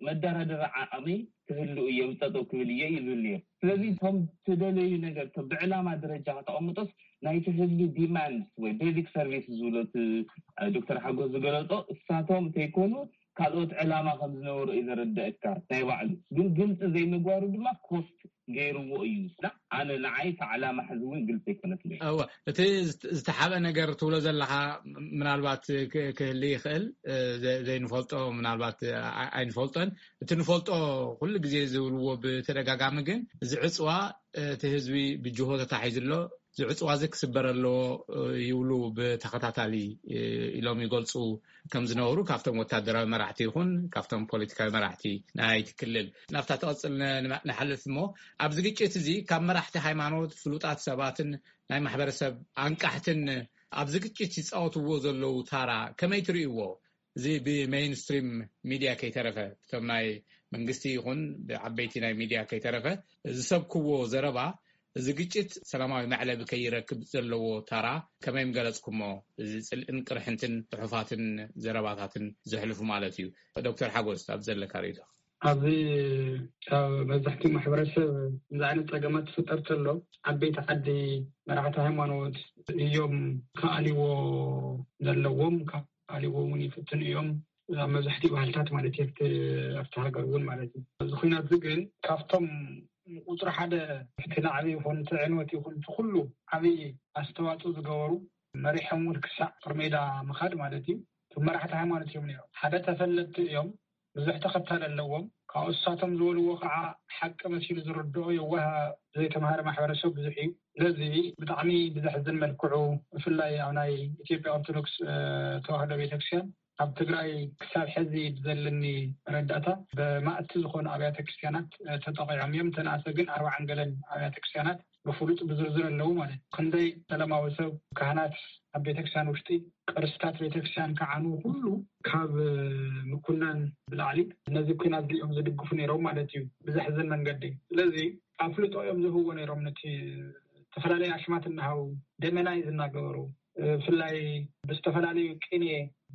መደራደሪ ዓቕሚ ክህሉ እየ ብፀጠው ክብል እየ እዩ ዝብል ነይሩ። ስለዚ እቶም ትደለዩ ነገር ብዕላማ ደረጃ ከተቐምጦስ ናይቲ ህዝቢ ዲማንድ ወይ ቤዚክ ሰርቪስ ዝብሎ ዶክተር ሓጎስ ዝገለፆ እሳቶም እንተይኮኑ ካልኦት ዕላማ ከም ዝነበሩ እዩ ዘረደእካ ናይ ባዕሉ ግን ግልፂ ዘይምግባሩ ድማ ኮስት ገይርዎ እዩ። ኣነ ንዓይ እቲ ዕላማ ሕዚ እውን ግልፂ ኣይኮነትለይ። እወ እቲ ዝተሓበ ነገር ትብሎ ዘለካ ምናልባት ክህል ይኽእል ዘይንፈልጦ ምናልባት ኣይንፈልጦን እቲ ንፈልጦ ኩሉ ግዜ ዝብልዎ ብተደጋጋሚ ግን እዚ ዕፅዋ እቲ ህዝቢ ብጅሆ ተታሒዙ ኣሎ እዚ ዕፅዋ እዚ ክስበር ኣለዎ ይብሉ ብተኸታታሊ ኢሎም ይገልፁ ከም ዝነበሩ ካብቶም ወታደራዊ መራሕቲ ይኹን ካብቶም ፖለቲካዊ መራሕቲ ናይቲ ክልል ናብታ ትቐፅል ንሓልፍ እሞ ኣብዚ ግጭት እዚ ካብ መራሕቲ ሃይማኖት ፍሉጣት ሰባትን ናይ ማሕበረሰብ ኣንቃሕትን ኣብዚ ግጭት ይፃወትዎ ዘለዉ ታራ ከመይ ትርእይዎ? እዚ ብሜይንስትሪም ሚድያ ከይተረፈ እቶም ናይ መንግስቲ ይኹን ብዓበይቲ ናይ ሚድያ ከይተረፈ ዝሰብክዎ ዘረባ እዚ ግጭት ሰላማዊ መዕለቢ ከይረክብ ዘለዎ ታራ ከመይ ምገለፅኩሞ? እዚ ፅልእን ቅርሕንትን ፅሑፋትን ዘረባታትን ዘሕልፉ ማለት እዩ። ዶክተር ሓጎስ ኣብ ዘለካ ርእይቶ። ኣብዚ ካብ መብዛሕትኡ ማሕበረሰብ እዚ ዓይነት ፀገማት ዝፍጠር ተሎ ዓበይቲ ዓዲ መራሕቲ ሃይማኖት እዮም ክኣልዎ ዘለዎም ክኣልዎ እውን ይፍትኑ እዮም ኣብ መብዛሕትኡ ባህልታት ማለት እዩ ኣብቲ ሃገር እውን ማለት እዩ እዚ ኩናት እዚ ግን ካብቶም ቁፅሪ ሓደ እቲ ናዕቢ ይኹን እቲ ዕንወት ይኹን እቲ ኩሉ ዓብይ ኣስተዋፅኦ ዝገበሩ መሪሖም እውን ክሳዕ ጦር ሜዳ ምኻድ ማለት እዩ እቶም መራሕቲ ሃይማኖት እዮም ነይሮም ሓደ ተፈለጥቲ እዮም ብዙሕ ተኸታሊ ኣለዎም ካብኡ እሳቶም ዝበልዎ ከዓ ሓቂ መሲሉ ዝርድኦ የዋህ ዘይተምሃረ ማሕበረሰብ ብዙሕ እዩ ስለዚ ብጣዕሚ ብዘሕዝን መልክዑ ብፍላይ ኣብ ናይ ኢትዮጵያ ኦርቶዶክስ ተዋህዶ ቤተክርስትያን ኣብ ትግራይ ክሳብ ሕዚ ብዘለኒ መረዳእታ ብማእቲ ዝኾኑ ኣብያተ ክርስትያናት ተጠቂዖም እዮም። ተንኣሰ ግን ኣርባዓን ገለን ኣብያተ ክርስትያናት ብፍሉጥ ብዝርዝር ኣለዉ ማለት እዩ። ክንደይ ሰላማዊ ሰብ፣ ካህናት ኣብ ቤተክርስትያን ውሽጢ ቅርስታት ቤተክርስትያን ከዓኑ ኩሉ ካብ ምኩናን ብላዕሊ ነዚ ኩናት እዚኦም ዝድግፉ ነይሮም ማለት እዩ ብዘሕዝን መንገዲ። ስለዚ ኣፍልጦ እዮም ዝህብዎ ነይሮም ነቲ ዝተፈላለየ ኣሽማት እናሃቡ ደመናይ ዝናገበሩ ብፍላይ ብዝተፈላለዩ ቅኔ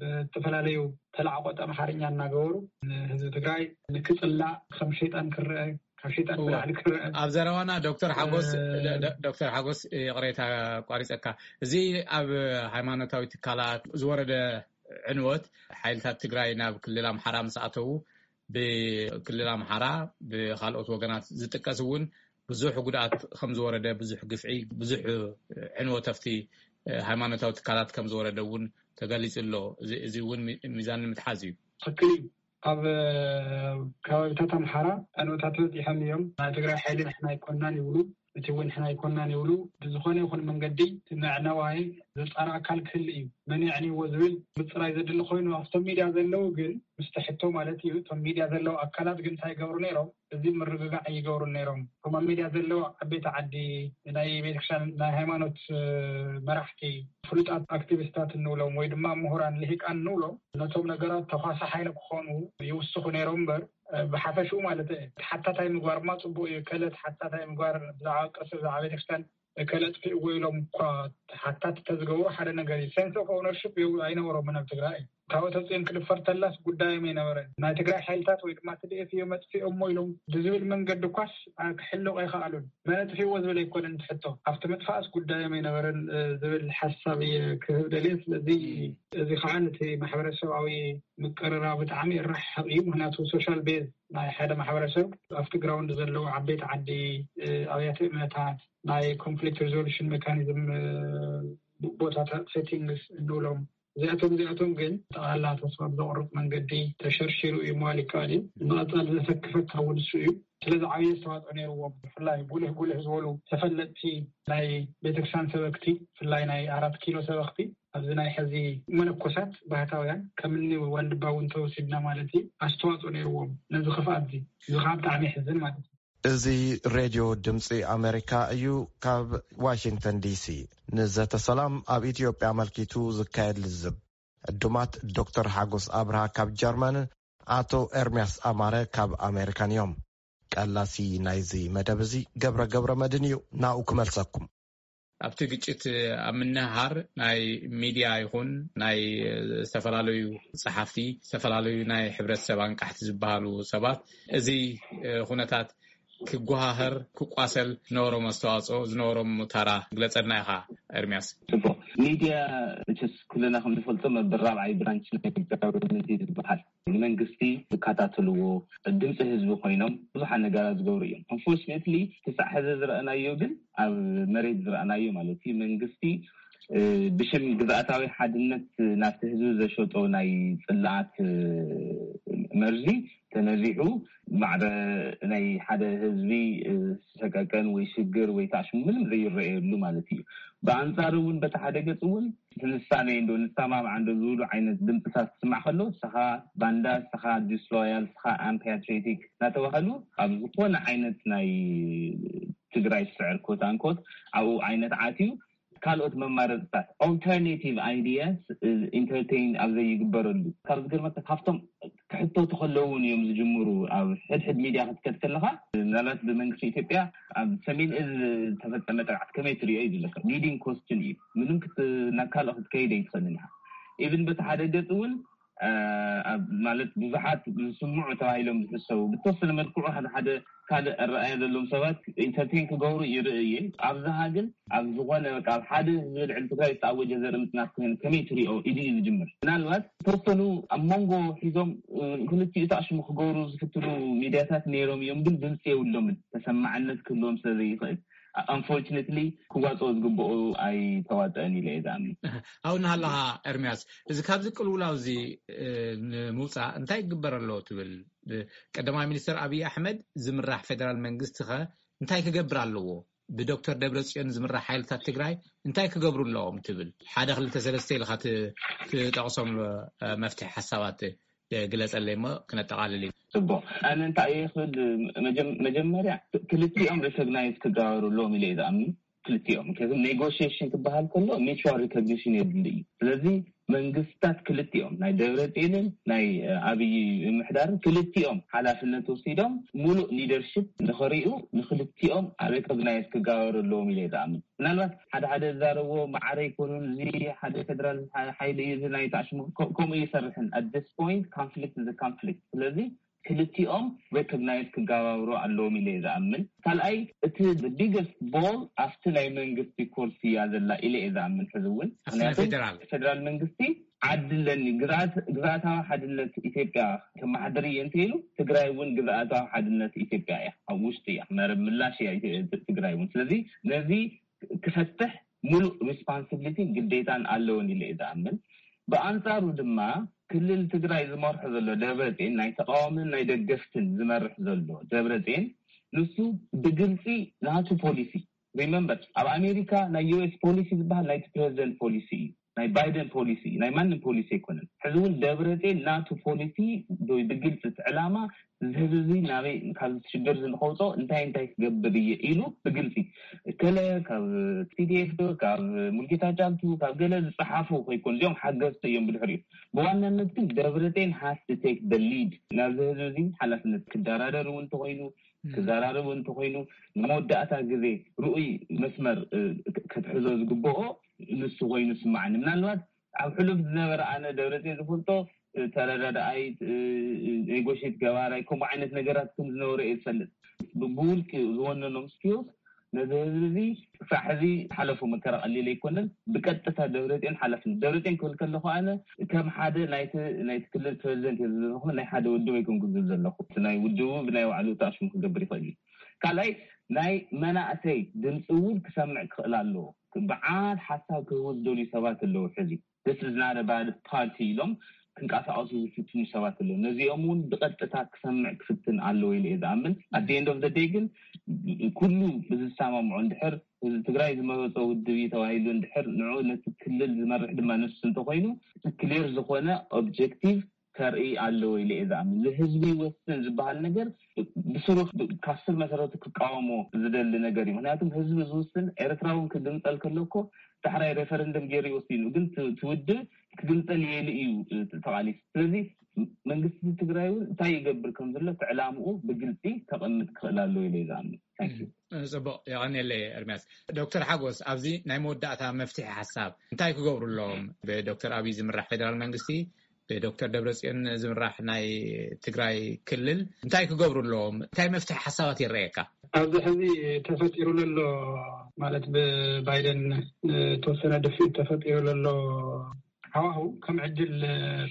ብዝተፈላለዩ ተላዕቆጠ ኣምሓርኛ እናገበሩ ንህዝቢ ትግራይ ንክፅላእ ከም ሸይጣን ክረአ ካብ ሸይጣን ብላዕሊ ክረአ ኣብ ዘረባና ዶክተር ሓጎስ ዶክተር ሓጎስ ይቕሬታ ቋሪፀካ እዚ ኣብ ሃይማኖታዊ ትካላት ዝወረደ ዕንወት ሓይልታት ትግራይ ናብ ክልል ኣምሓራ ምስ ኣተዉ ብክልል ኣምሓራ ብካልኦት ወገናት ዝጥቀስ እውን ብዙሕ ጉድኣት ከም ዝወረደ ብዙሕ ግፍዒ ብዙሕ ዕንወት ኣብቲ ሃይማኖታዊ ትካላት ከም ዝወረደ እውን ተገሊፁ ኣሎ። እዚ እውን ሚዛን ንምትሓዝ እዩ። ትክክል እዩ። ኣብ ከባቢታት ኣምሓራ ዕንወታት በፂሖም እዮም። ናይ ትግራይ ሓይሊ ንሕና ኣይኮናን ይብሉ። እቲ እውን ሕና ኣይኮናን ይብሉ። ብዝኾነ ይኹን መንገዲ እቲ መዕነዋይ ዘጻሪ ኣካል ክህሉ እዩ። መን የዕንይዎ ዝብል ምጽራይ ዘድሊ ኮይኑ ኣብቶም ሚድያ ዘለዉ ግን ምስቲ ሕቶ ማለት እዩ። እቶም ሚድያ ዘለዉ ኣካላት ግን እንታይ ይገብሩ ነይሮም? እዚ ምርግጋዕ ይገብሩ ነይሮም። እቶም ኣብ ሚድያ ዘለዉ ዓበይቲ ዓዲ፣ ናይ ቤተክርስትያን ናይ ሃይማኖት መራሕቲ፣ ፍሉጣት ኣክቲቪስታት እንብሎም ወይ ድማ ምሁራን ልሂቃን እንብሎም ነቶም ነገራት ተኳሲ ሓይሊ ክኾኑ ይውስኹ ነይሮም እምበር ብሓፈሽኡ ማለት ተሓታታይ ምግባር ማ ፅቡቅ እዩ። ከለ ተሓታታይ ምግባር ብዛዕባ ቅርሲ ብዛዕባ ቤተክርስትያን ከለጥፍእዎ ኢሎም እኳ ተሓታት ተዝገብሩ ሓደ ነገር እዩ። ሴንስ ኦፍ ኦነርሽፕ ኣይነበሮምን ኣብ ትግራይ። ካብ ተፅዮን ክድፈር ተላስ ጉዳዮም ኣይነበረን። ናይ ትግራይ ሓይልታት ወይ ድማ ትድኤፍ እዮ መጥፊኦሞ ኢሎም ብዝብል መንገዲ ኳስ ክሕልቕ ኣይከኣሉን። መነጥፊዎ ዝብል ኣይኮነን ትሕቶ ኣብቲ ምጥፋእስ ጉዳዮም ኣይነበረን ዝብል ሓሳብ እየ ክህብ ደልየ። ስለዚ እዚ ከዓ ነቲ ማሕበረሰባዊ ምቅርራብ ብጣዕሚ ይረሓቕ እዩ። ምክንያቱ ሶሻል ቤዝ ናይ ሓደ ማሕበረሰብ ኣብቲ ግራውንድ ዘለዉ ዓበይቲ ዓዲ፣ ኣብያተ እምነታት፣ ናይ ኮንፍሊክት ሪዞሉሽን ሜካኒዝም ቦታታት ሴቲንግስ እንብሎም እዚኣቶም እዚኣቶም ግን ጠቕላላ ተስፋ ብዘቑርጥ መንገዲ ተሸርሺሩ እዩ ምባል ይከኣል እዩ። ንቐፃሊ ዘሰክፈካ እውን እሱ እዩ። ስለዚ ዓብዪ ኣስተዋፅኦ ነይርዎም። ብፍላይ ጉልህ ጉልህ ዝበሉ ተፈለጥቲ ናይ ቤተክርስትያን ሰበክቲ፣ ብፍላይ ናይ ኣራት ኪሎ ሰበክቲ ኣብዚ ናይ ሕዚ መነኮሳት ባህታውያን ከምኒ ዋልድባ እውን ተወሲድና ማለት እዩ ኣስተዋፅኦ ነይርዎም ነዚ ክፍኣት እዚ። እዚ ከዓ ብጣዕሚ ይሕዝን ማለት እዩ። እዚ ሬድዮ ድምፂ ኣሜሪካ እዩ። ካብ ዋሽንግተን ዲሲ ንዘተ ሰላም ኣብ ኢትዮጵያ ኣመልኪቱ ዝካየድ ልዝብ ዕዱማት ዶክተር ሓጎስ ኣብርሃ ካብ ጀርመንን ኣቶ ኤርምያስ ኣማረ ካብ ኣሜሪካን እዮም። ቀላሲ ናይዚ መደብ እዚ ገብረ ገብረ መድን እዩ። ናኡ ክመልሰኩም። ኣብቲ ግጭት ኣብ ምንሃር ናይ ሚድያ ይኹን ናይ ዝተፈላለዩ ጸሓፍቲ፣ ዝተፈላለዩ ናይ ሕብረተሰብ ኣንቃሕቲ ዝበሃሉ ሰባት እዚ ኩነታት ክጓሃህር ክቋሰል ዝነበሮም ኣስተዋፅኦ ዝነበሮም ታራ ግለፀልና ኢኻ ኤርሚያስ። ጽቡቕ። ሚድያ መቸስ ኩልና ከም ንፈልጦ መበል ራብዓይ ብራንች ናይ ጋቨርንመንት እዩ ዝበሃል። ንመንግስቲ ዝከታተልዎ፣ ድምፂ ህዝቢ ኮይኖም ብዙሓት ነገራት ዝገብሩ እዮም። ኣንፎርችነትሊ ክሳዕ ሕዚ ዝረኣናዮ ግን ኣብ መሬት ዝረኣናዮ ማለት እዩ መንግስቲ ብሽም ግዝኣታዊ ሓድነት ናብቲ ህዝቢ ዘሸጦ ናይ ፅልኣት መርዚ ተነዚሑ ማዕረ ናይ ሓደ ህዝቢ ሰቀቀን ወይ ሽግር ወይ ታሽሙ ምንም ዘይረኣየሉ ማለት እዩ። ብኣንፃሩ እውን በቲ ሓደ ገፅ እውን ትንሳነ እንዶ ንሰማማዕ እንዶ ዝብሉ ዓይነት ድምፅታት ትስማዕ ከሎ ንስኻ ባንዳ፣ ንስኻ ዲስሎያል፣ ንስኻ ኣምፓትሪዮቲክ እናተባህሉ ኣብ ዝኾነ ዓይነት ናይ ትግራይ ስዕር ኮት ኣንኮት ኣብኡ ዓይነት ዓትዩ ካልኦት መማረፅታት ኦልተርኔቲቭ ኣይዲያስ ኢንተርቴይን ኣብ ዘይግበረሉ ካብ ዝገርመካ ካብቶም ክሕተቱ ከለውን እዮም ዝጅምሩ። ኣብ ሕድሕድ ሚድያ ክትከድ ከለካ ምናልባት ብመንግስቲ ኢትዮጵያ ኣብ ሰሜን እዝ ዝተፈፀመ ጥቃዕት ከመይ ትሪኦ እዩ ዝብለካ ሊዲንግ ኮስችን እዩ። ምንም ናብ ካልኦ ክትከይድ ኣይትኽእልን ኢኻ። ኢቭን በቲ ሓደ ገፅ እውን ማለት ብዙሓት ዝስምዑ ተባሂሎም ዝሕሰቡ ብተወሰነ መልክዑ ሓደ ሓደ ካልእ ኣረኣያ ዘለዎም ሰባት ኢንተርቴን ክገብሩ ይርኢ እየ። ኣብዝሃ ግን ኣብ ዝኾነ በቃ ኣብ ሓደ ህዝቢ ልዕሊ ትግራይ ዝተኣወጀ ዘርኢ ምፅናት ክህን ከመይ ትሪኦ ኢሉ እዩ ዝጅምር። ምናልባት ተወሰኑ ኣብ መንጎ ሒዞም ክልቲኡ ተኣሽሙ ክገብሩ ዝፍትኑ ሚድያታት ነይሮም እዮም፣ ግን ድምፂ የብሎምን ተሰማዕነት ክህልዎም ስለ ዘይኽእል ኣንፎርችነትሊ ክዋፅኦ ዝግብኦ ኣይተዋፀአን ኢለ እየ ዝኣምን። ኣብኡ እናሃለኻ ኤርሚያስ፣ እዚ ካብዚ ቅልውላው እዚ ንምውፃእ እንታይ ክግበር ኣለዎ ትብል? ቀዳማይ ሚኒስትር ኣብይ ኣሕመድ ዝምራሕ ፌደራል መንግስቲ ኸ እንታይ ክገብር ኣለዎ? ብዶክተር ደብረፅዮን ዝምራሕ ሓይልታት ትግራይ እንታይ ክገብሩ ኣለዎም ትብል? ሓደ ክልተ ሰለስተ ኢልካ ትጠቕሶም መፍትሒ ሓሳባት ግለፀለይ እሞ ክነጠቓልል ኢና። ፅቡቕ። ኣነ እንታይ እየ ክብል፣ መጀመርያ ክልቲኦም ሪኮግናይዝ ክገበሩ ኣለዎም ኢለ እየ ዝኣምን። ክልቲኦም ምክንያቱ ኔጎሽሽን ክበሃል ከሎ ሚቹዋል ሪኮግኒሽን የድሊ እዩ። ስለዚ መንግስታት ክልቲኦም ናይ ደብረፅዮንን ናይ ኣብይ ምምሕዳርን ክልቲኦም ሓላፍነት ወሲዶም ሙሉእ ሊደርሽፕ ንኸሪኡ ንክልቲኦም ሪኮግናይዝ ክገበሩ ኣለዎም ኢለ እየ ዝኣምን። ምናልባት ሓደ ሓደ ዝዛረብዎ ማዕረ ኣይኮኑን፣ እዚ ሓደ ፌደራል ሓይሊ እዩ፣ እዚ ናይ ታሽሙ ከምኡ ይሰርሕን። ኣት ዲስ ፖይንት ኮንፍሊክት እዚ ኮንፍሊክት ስለዚ ክልቲኦም ሬኮግናይዝ ክጋባብሩ ኣለዎም ኢለ እየ ዝኣምን። ካልኣይ እቲ ቢገስት ቦል ኣብቲ ናይ መንግስቲ ኮርሲ እያ ዘላ ኢለ እየ ዝኣምን። ሕዚ እውን ምክንያቱ ፌደራል መንግስቲ ዓዲ ኣለኒ ግዝኣታዊ ሓድነት ኢትዮጵያ ከመሓድር እየ እንተይሉ ትግራይ እውን ግዝኣታዊ ሓድነት ኢትዮጵያ እያ፣ ኣብ ውሽጢ እያ፣ መረብ ምላሽ እያ ትግራይ እውን። ስለዚ ነዚ ክፈትሕ ሙሉእ ሪስፖንሲቢሊቲን ግዴታን ኣለዎን ኢለ እየ ዝኣምን። ብኣንፃሩ ድማ ክልል ትግራይ ዝመርሖ ዘሎ ደብረፅዮን ናይ ተቃዋምን ናይ ደገፍትን ዝመርሕ ዘሎ ደብረፅዮን ንሱ ብግልፂ ናቱ ፖሊሲ remember ኣብ ኣሜሪካ ናይ ዩ ኤስ ፖሊሲ ዝበሃል ናይቲ ፕሬዚደንት ፖሊሲ እዩ። ናይ ባይደን ፖሊሲ እዩ፣ ናይ ማንም ፖሊሲ ኣይኮነን። ሕዚ እውን ደብረፅዮን ናቱ ፖሊሲ ብግልፂ እቲ ዕላማ እዚ ህዝቢ እዚ ናበይ ካብ ሽግር እዚ ንኸውፅኦ እንታይ እንታይ ክገብር እየ ኢሉ ብግልፂ እከለ ካብ ቲ ዲ ኤፍ ካብ ሙልጌታ ጫልቱ ካብ ገለ ዝፀሓፉ ከይኮኑ እዚኦም ሓገዝቲ እዮም። ብድሕሪኡ ብዋናነት ግን ደብረፅዮን has to take the lead ናብዚ ህዝቢ እዚ ሓላፍነት ክደራደር እውን እንተኾይኑ ክዘራረብ እንተኮይኑ ንመወዳእታ ግዜ ርኡይ መስመር ክትሕዞ ዝግብኦ ንሱ ኮይኑ ስማዓኒ። ምናልባት ኣብ ሕሉፍ ዝነበረ ኣነ ደብረፅዮን ዝፈልጦ ተረዳዳኣይ፣ ኔጎሽት ገባራይ ከምኡ ዓይነት ነገራት ከም ዝነበረ እየ ዝፈልጥ። ብውልቂ ዝወነኖም ስኪልስ ነዚ ህዝቢ እዚ ክሳዕ ሕዚ ሓለፉ መከራ ቀሊል ኣይኮነን። ብቀጥታ ደብረፅዮን ሓላፍነት ደብረፅዮን ክብል ከለኹ ኣነ ከም ሓደ ናይቲ ናይቲ ክልል ፕሬዚደንት እየ ዝብለኹ ናይ ሓደ ውድብ ኣይኮንኩ ዝብል ዘለኹ። እቲ ናይ ውድቡ ብናይ ባዕሉ ተኣሽሙ ክገብር ይኽእል እዩ። ካልኣይ ናይ መናእሰይ ድምፂ እውን ክሰምዕ ክኽእል ኣለዎ። በዓል ሓሳብ ክህቡ ዝደልዩ ሰባት ኣለዉ። ሕዚ this is not a bad party ኢሎም ክንቀሳቀሱ ዝፍትኑ ሰባት ኣለዉ። ነዚኦም እውን ብቀጥታ ክሰምዕ ክፍትን ኣለዎ ኢለ እየ ዝኣምን። At the end of the day ግን ኩሉ ብዝሰማምዖ እንድሕር ህዝቢ ትግራይ ዝመረፆ ውድብ እዩ ተባሂሉ እንድሕር ንዑ ነቲ ክልል ዝመርሕ ድማ ንሱ እንተኮይኑ ክሊር ዝኾነ ኦብጀክቲቭ ከርኢ ኣለዎ ኢለ እየ ዝኣምን። ንህዝቢ ይወስን ዝበሃል ነገር ብስሩ ካብ ስር መሰረቱ ክቃወሞ ዝደሊ ነገር እዩ። ምክንያቱም ህዝቢ ዝውስን ኤርትራ እውን ክግንፀል ከሎ እኮ ዳሕራይ ሬፈረንደም ገይሩ ይወስን እዩ። ግን እቲ ውድብ ክግንፀል የኢሉ እዩ ተቃሊሱ። ስለዚ መንግስቲ ትግራይ እውን እንታይ ይገብር ከም ዘሎ እቲ ዕላምኡ ብግልፂ ከቐምጥ ክኽእል ኣለዎ ኢለ እየ ዝኣምን። ፅቡቅ የቀንየለይ ኤርሚያስ። ዶክተር ሓጎስ ኣብዚ ናይ መወዳእታ መፍትሒ ሓሳብ እንታይ ክገብሩ ኣለዎም? ብዶክተር ኣብይ ዝምራሕ ፌደራል መንግስቲ ብዶክተር ደብረፅዮን ዝምራሕ ናይ ትግራይ ክልል እንታይ ክገብሩ ኣለዎም? እንታይ መፍትሒ ሓሳባት ይረኣየካ? ኣብዚ ሕዚ ተፈጢሩ ዘሎ ማለት ብባይደን ተወሰነ ድፍኢት ተፈጢሩ ዘሎ ሃዋሁ ከም ዕድል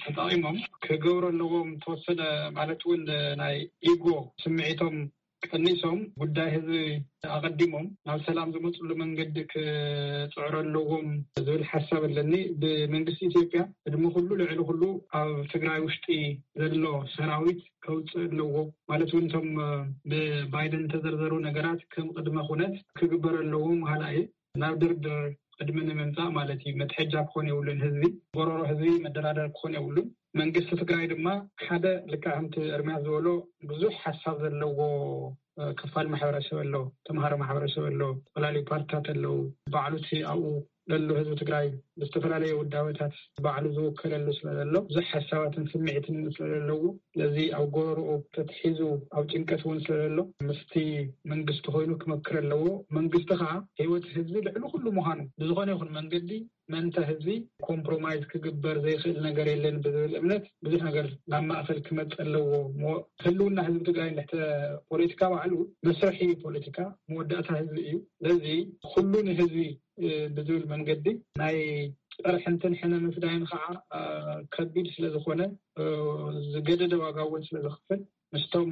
ተጠቂሞም ክገብሩ ኣለዎም ተወሰነ ማለት እውን ናይ ኢጎ ስምዒቶም ቀኒሶም ጉዳይ ህዝቢ ኣቐዲሞም ናብ ሰላም ዝመፅሉ መንገዲ ክፅዕሩ ኣለዎም ዝብል ሓሳብ ኣለኒ። ብመንግስቲ ኢትዮጵያ ቅድሚ ኩሉ ልዕሊ ኩሉ ኣብ ትግራይ ውሽጢ ዘሎ ሰራዊት ከውፅእ ኣለዎ ማለት እውን እቶም ብባይደን ዝተዘርዘሩ ነገራት ከም ቅድመ ኩነት ክግበር ኣለዎም በሃላይ እየ። ናብ ድርድር ቅድሚ ንምምፃእ ማለት እዩ። መትሐጃ ክኾን የብሉን። ህዝቢ ጎረሮ ህዝቢ መደራደር ክኾን የብሉን። መንግስቲ ትግራይ ድማ ሓደ ልክዕ ከምቲ እርምያስ ዝበሎ ብዙሕ ሓሳብ ዘለዎ ክፋል ማሕበረሰብ ኣሎ። ተምሃሮ ማሕበረሰብ ኣሎ። ዝተፈላለዩ ፓርትታት ኣለዉ። ባዕሉ እቲ ኣብኡ ዘሎ ህዝቢ ትግራይ ብዝተፈላለየ ውዳበታት ባዕሉ ዝውከለሉ ስለዘሎ ብዙሕ ሓሳባትን ስምዒትን ስለዘለዎ ስለዚ ኣብ ጎረርኡ ተትሒዙ ኣብ ጭንቀት እውን ስለዘሎ ምስቲ መንግስቲ ኮይኑ ክመክር ኣለዎ። መንግስቲ ከዓ ህይወት ህዝቢ ልዕሊ ኩሉ ምዃኑ ብዝኾነ ይኹን መንገዲ መንተ ህዝቢ ኮምፕሮማይዝ ክግበር ዘይኽእል ነገር የለን ብዝብል እምነት ብዙሕ ነገር ናብ ማእኸል ክመፅ ኣለዎ። ህልውና ህዝቢ ትግራይ ንድሕተ ፖለቲካ ባዕሉ መስርሒ ፖለቲካ መወዳእታ ህዝቢ እዩ። ስለዚ ኩሉ ንህዝቢ ብዝብል መንገዲ ናይ ፀርሕንትን ሕነ ምፍዳይን ከዓ ከቢድ ስለዝኾነ ዝገደደ ዋጋ እውን ስለዝኽፍል ምስቶም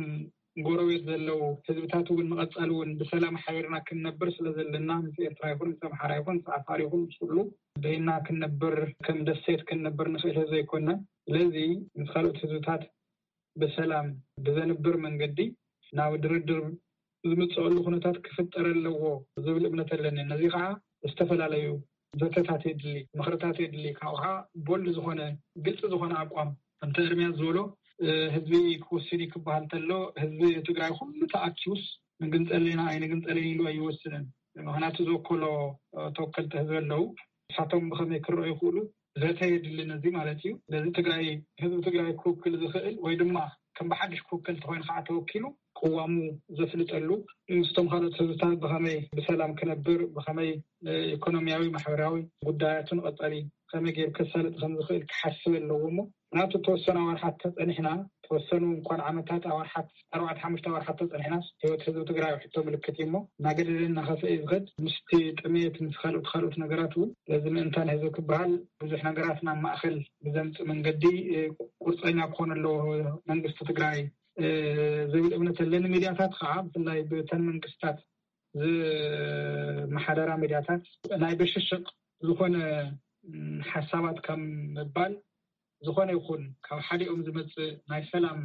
ጎረቤት ዘለዉ ህዝብታት እውን ንቐፃሊ እውን ብሰላም ሓቢርና ክንነብር ስለ ዘለና ምስ ኤርትራ ይኹን ምስ ኣምሓራ ይኹን ምስ ዓፋር ይኹን ምስ ኩሉ በይና ክንነብር ከም ደሴት ክንነብር ንኽእል ዘይኮና ስለዚ ምስ ካልኦት ህዝብታት ብሰላም ብዘንብር መንገዲ ናብ ድርድር ዝምፅአሉ ኩነታት ክፍጠር ኣለዎ ዝብል እምነት ኣለኒ። ነዚ ከዓ ዝተፈላለዩ ዘተታት የድሊ፣ ምኽርታት የድሊ። ካብኡ ከዓ ቦልድ ዝኾነ ግልፂ ዝኾነ ኣቋም ከምቲ እርምያስ ዝበሎ ህዝቢ ክወስን እዩ ክበሃል ተሎ ህዝቢ ትግራይ ኩሉ ተኣኪቡስ ንግንፀል ኢና ኣይንግንፀልን ኢሉ ኣይወስንን። ምክንያቱ ዝወከሎ ተወከልቲ ህዝቢ ኣለዉ። ንሳቶም ብኸመይ ክረኣዩ ይኽእሉ ዘተ የድሊ ነዚ ማለት እዩ። ስለዚ ትግራይ ህዝቢ ትግራይ ክውክል ዝኽእል ወይ ድማ ከም ብሓድሽ ክውከል ተኮይኑ ከዓ ተወኪሉ ቅዋሙ ዘፍልጠሉ ምስቶም ካልኦት ህዝብታት ብኸመይ ብሰላም ክነብር ብኸመይ ኢኮኖሚያዊ ማሕበራዊ ጉዳያቱን ቀጠሊ ከመይ ገይሩ ከሳልጥ ከም ዝኽእል ክሓስብ ኣለዎ እሞ ናቱ ተወሰነ ኣዋርሓት ተፀኒሕና ተወሰኑ እንኳን ዓመታት ኣዋርሓት ኣርባዕተ ሓሙሽተ ኣዋርሓት ተፀኒሕናስ ህይወት ህዝቢ ትግራይ ሕቶ ምልክት እዩ እሞ እናገደደ እናኸፍአ እዩ ዝኸድ ምስቲ ጥሜት ምስ ካልኦት ካልኦት ነገራት እውን በዚ ምእንታን ህዝቢ ክበሃል ብዙሕ ነገራት ናብ ማእኸል ብዘምፅእ መንገዲ ቁርፀኛ ክኾን ኣለዎ መንግስቲ ትግራይ ዝብል እምነት ኣለኒ። ሚድያታት ከዓ ብፍላይ ብተን መንግስታት ዝመሓደራ ሚድያታት ናይ ብሽሽቅ ዝኾነ ሓሳባት ካብ ምባል ዝኾነ ይኹን ካብ ሓዲኦም ዝመፅእ ናይ ሰላም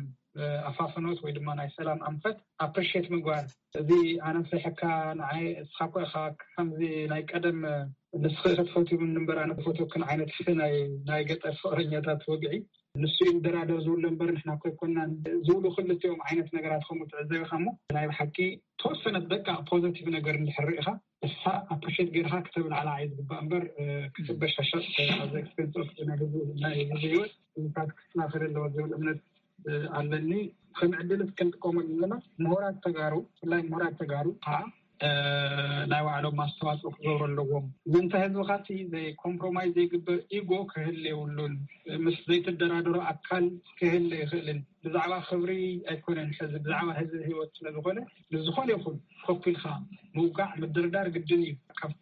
ኣፋፍኖት ወይ ድማ ናይ ሰላም ኣንፈት ኣፕሪሼት ምግባር። እዚ ኣነ ፍሪሐካ ንዓይ እስኻ እኮ ኢኻ ከምዚ ናይ ቀደም ንስኺ ኢኺ ትፈትዩ እምበር ኣነ ክፈትወክን ዓይነት ናይ ገጠር ፍቕረኛታት ወግዒ። ንሱ እዩ ንደራደር ዝብሎ እምበር ንሕና እኮ ኣይኮናን ዝብሉ ክልቲኦም ዓይነት ነገራት ከምኡ ትዕዘብ ኢኻ። እሞ ናይ ብሓቂ ተወሰነት በቃ ፖዘቲቭ ነገር እንድሕር ርኢኻ እሳ ኣፕሪሼት ጌርካ ክተብላዕላ እዩ ዝግባእ እምበር ክትበሻሻጥ ኣዘ ኤክስፔንስ ናይ ህዝቢ ህይወት ምታት ክስተኻኸል ኣለዎ ዝብል እምነት ኣለኒ። ከም ዕድል ክንጥቀመሉ ዘለና ምሁራት ተጋሩ ብፍላይ ምሁራት ተጋሩ ከዓ ናይ ባዕሎም ኣስተዋፅኦ ክገብሩ ኣለዎም። ምእንተ ህዝብካ እቲ ዘይኮምፕሮማይዝ ዘይግበር ኢጎ ክህል የብሉን። ምስ ዘይተደራደሮ ኣካል ክህል ይኽእልን ብዛዕባ ክብሪ ኣይኮነን ሕዚ ብዛዕባ ህዝቢ ህይወት ስለዝኾነ ንዝኾነ ይኹን ኮፒልካ ምውጋዕ ምድርዳር ግድን እዩ። ካብቲ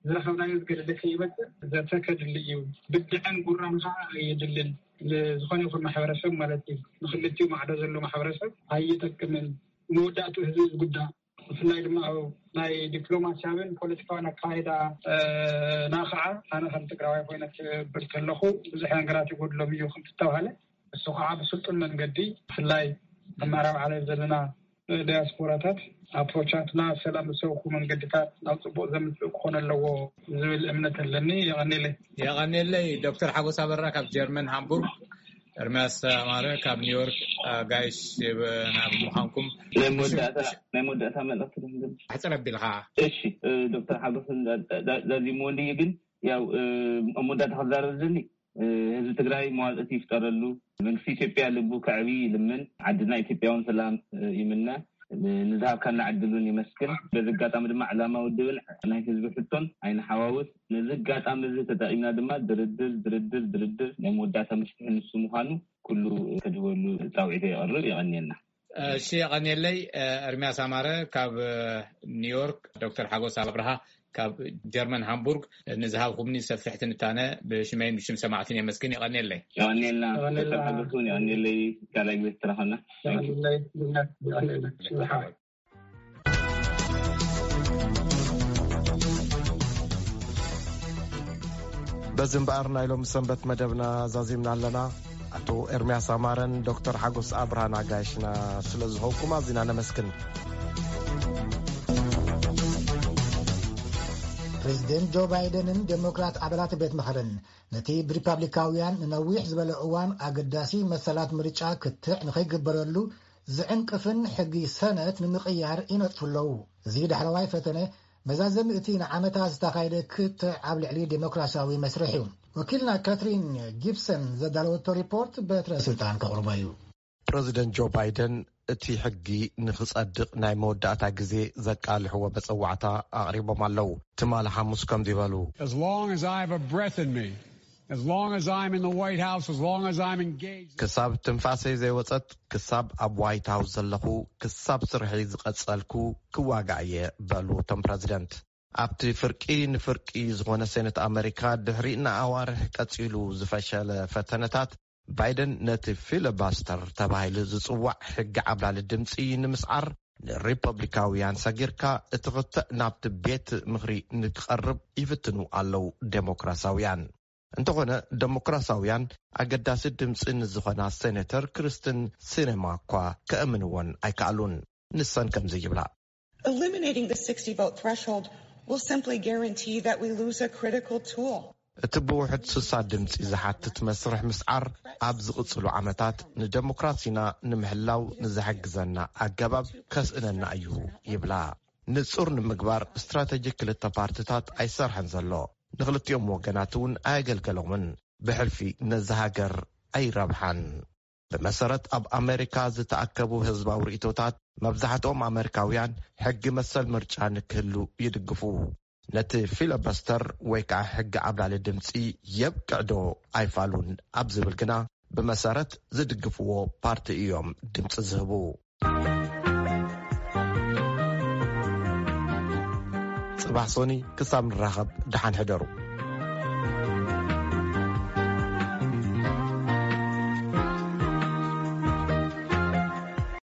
ዝረኸብናዮ ዝገደደ ከይመፅእ ዘተ ከድሊ እዩ። ብድዐን ጉራን ከዓ የድልን። ንዝኾነ ይኹን ማሕበረሰብ ማለት እዩ ንክልቲኡ ማዕዶ ዘሎ ማሕበረሰብ ኣይጠቅምን። መወዳእቱ ህዝቢ ዝጉዳ ብፍላይ ድማ ኣብ ናይ ዲፕሎማሲያዊን ፖለቲካዊን ኣካይዳ ና ከዓ ኣነ ከም ትግራዋይ ኮይነ ክብል ከለኹ ብዙሕ ነገራት ይጎድሎም እዩ ከምትተባሃለ እሱ ከዓ ብስልጡን መንገዲ ብፍላይ ኣብ ምዕራብ ዓለም ዘለና ዲያስፖራታት ኣፕሮቻትና ሰላም ዝሰብኩ መንገድታት ናብ ፅቡቅ ዘምፅእ ክኾነ ኣለዎ ዝብል እምነት ኣለኒ። የቐኒለይ። የቐኒለይ። ዶክተር ሓጎስ ኣበራ ካብ ጀርመን ሃምቡርግ፣ ኤርሚያስ ኣማረ ካብ ኒውዮርክ ኣጋይሽ ናብ ምዃንኩም ናይ መወዳእታ ናይ መወዳእታ መልእክቲ ኣሕፅር ኣቢልካ። እሺ። ዶክተር ሓጎስ ዛዚሙ ወንድየ ግን ያው ኣብ መወዳእታ ክዛረብ ዝደሊ ህዝቢ ትግራይ መዋፅእቲ ይፍጠረሉ። መንግስቲ ኢትዮጵያ ልቡ ከዕቢ ይልምን። ዓድና ኢትዮጵያ እውን ሰላም ይምነ። ንዝሃብካና ዕድል እውን የመስግን። በዚ ኣጋጣሚ ድማ ዕላማ ውድብን ናይ ህዝቢ ሕቶን ኣይንሓዋውስ። ነዚ ኣጋጣሚ እዚ ተጠቂምና ድማ ድርድር ድርድር ድርድር ናይ መወዳእታ መፍትሒ ንሱ ምዃኑ ኩሉ ከድህበሉ ፃውዒተ የቕርብ። የቐንየልና። እሺ የቐንየለይ። ኤርሚያስ ኣማረ ካብ ኒውዮርክ፣ ዶክተር ሓጎስ ኣብርሃ ካብ ጀርመን ሃምቡርግ ንዝሃብኩምኒ ሰፊሕ ትንታነ ብሽመይን ብሽም ሰማዕትን የመስግን። የቐንየለይ። የቐንየልና። የቐንየልና። ተጠቃገሱን የቐንየለይ። ካልኣይ ግዜ ተራኸብና። በዚ እምበኣር ናይ ሎሚ ሰንበት መደብና ዛዚምና ኣለና። ኣቶ ኤርምያስ ኣማረን ዶክተር ሓጎስ ኣብርሃን ኣጋይሽና ስለ ዝኾንኩም ኣዚና ነመስግን። ፕሬዚደንት ጆ ባይደንን ዴሞክራት ኣባላት ቤት ምኽርን ነቲ ብሪፓብሊካውያን ንነዊሕ ዝበለ እዋን ኣገዳሲ መሰላት ምርጫ ክትዕ ንኸይግበረሉ ዝዕንቅፍን ሕጊ ሰነት ንምቕያር ይነጥፉ ኣለዉ። እዚ ዳሕረዋይ ፈተነ መዛዘሚ እቲ ንዓመታት ዝተኻየደ ክትዕ ኣብ ልዕሊ ዴሞክራሲያዊ መስርሕ እዩ። ወኪልና ካትሪን ጊብሰን ዘዳለወቶ ሪፖርት በትረ ስልጣን ከቕርቦ እዩ። ፕረዚደንት ጆ ባይደን እቲ ሕጊ ንኽጸድቕ ናይ መወዳእታ ግዜ ዘቃልሕዎ መጸዋዕታ ኣቕሪቦም ኣለዉ። ትማሊ ሓሙስ ከምዚ በሉ። As long as I have a breath in me, as long as I'm in the White House, as long as I'm engaged. ክሳብ ትንፋሰይ ዘይወጸት፣ ክሳብ ኣብ ዋይት ሃውስ ዘለኹ፣ ክሳብ ስርሐይ ዝቐጸልኩ ክዋጋእ እየ በሉ እቶም ፕረዚደንት። ኣብቲ ፍርቂ ንፍርቂ ዝኾነ ሴኔት ኣመሪካ ድሕሪ ንኣዋርሕ ቀጺሉ ዝፈሸለ ፈተነታት፣ ባይደን ነቲ ፊለባስተር ተባሂሉ ዝጽዋዕ ሕጊ ዓብላሊ ድምጺ ንምስዓር ንሪፐብሊካውያን ሰጊርካ እቲ ክትዕ ናብቲ ቤት ምኽሪ ንክቐርብ ይፍትኑ ኣለዉ ዴሞክራሲያውያን። እንተኾነ ዴሞክራሲያውያን ኣገዳሲ ድምጺ ንዝኾና ሴኔተር ክርስትን ሲነማ እኳ ከእምንወን ኣይከኣሉን። ንሰን ከምዚ ይብላ። Eliminating the sixty vote threshold will simply guarantee that we lose a critical tool. እቲ ብውሕድ ስሳ ድምጺ ዝሓትት መስርሕ ምስዓር ኣብ ዝቕጽሉ ዓመታት ንደሞክራሲና ንምሕላው ንዝሕግዘና ኣገባብ ከስእነና እዩ ይብላ። ንጹር ንምግባር ስትራተጂ ክልተ ፓርትታት ኣይሰርሐን ዘሎ። ንኽልቲኦም ወገናት እውን ኣየገልገሎምን። ብሕልፊ ነዚ ሃገር ኣይረብሓን። ብመሰረት ኣብ ኣመሪካ ዝተኣከቡ ህዝባዊ ርእይቶታት፣ መብዛሕትኦም ኣመሪካውያን ሕጊ መሰል ምርጫ ንክህሉ ይድግፉ። ነቲ ፊለበስተር ወይ ከዓ ሕጊ ዓብላሊ ድምፂ የብቅዕ ዶ ኣይፋሉን ኣብ ዝብል ግና፣ ብመሰረት ዝድግፍዎ ፓርቲ እዮም ድምፂ ዝህቡ። ፅባሕ ሶኒ ክሳብ ንራኸብ ደሓን ሕደሩ።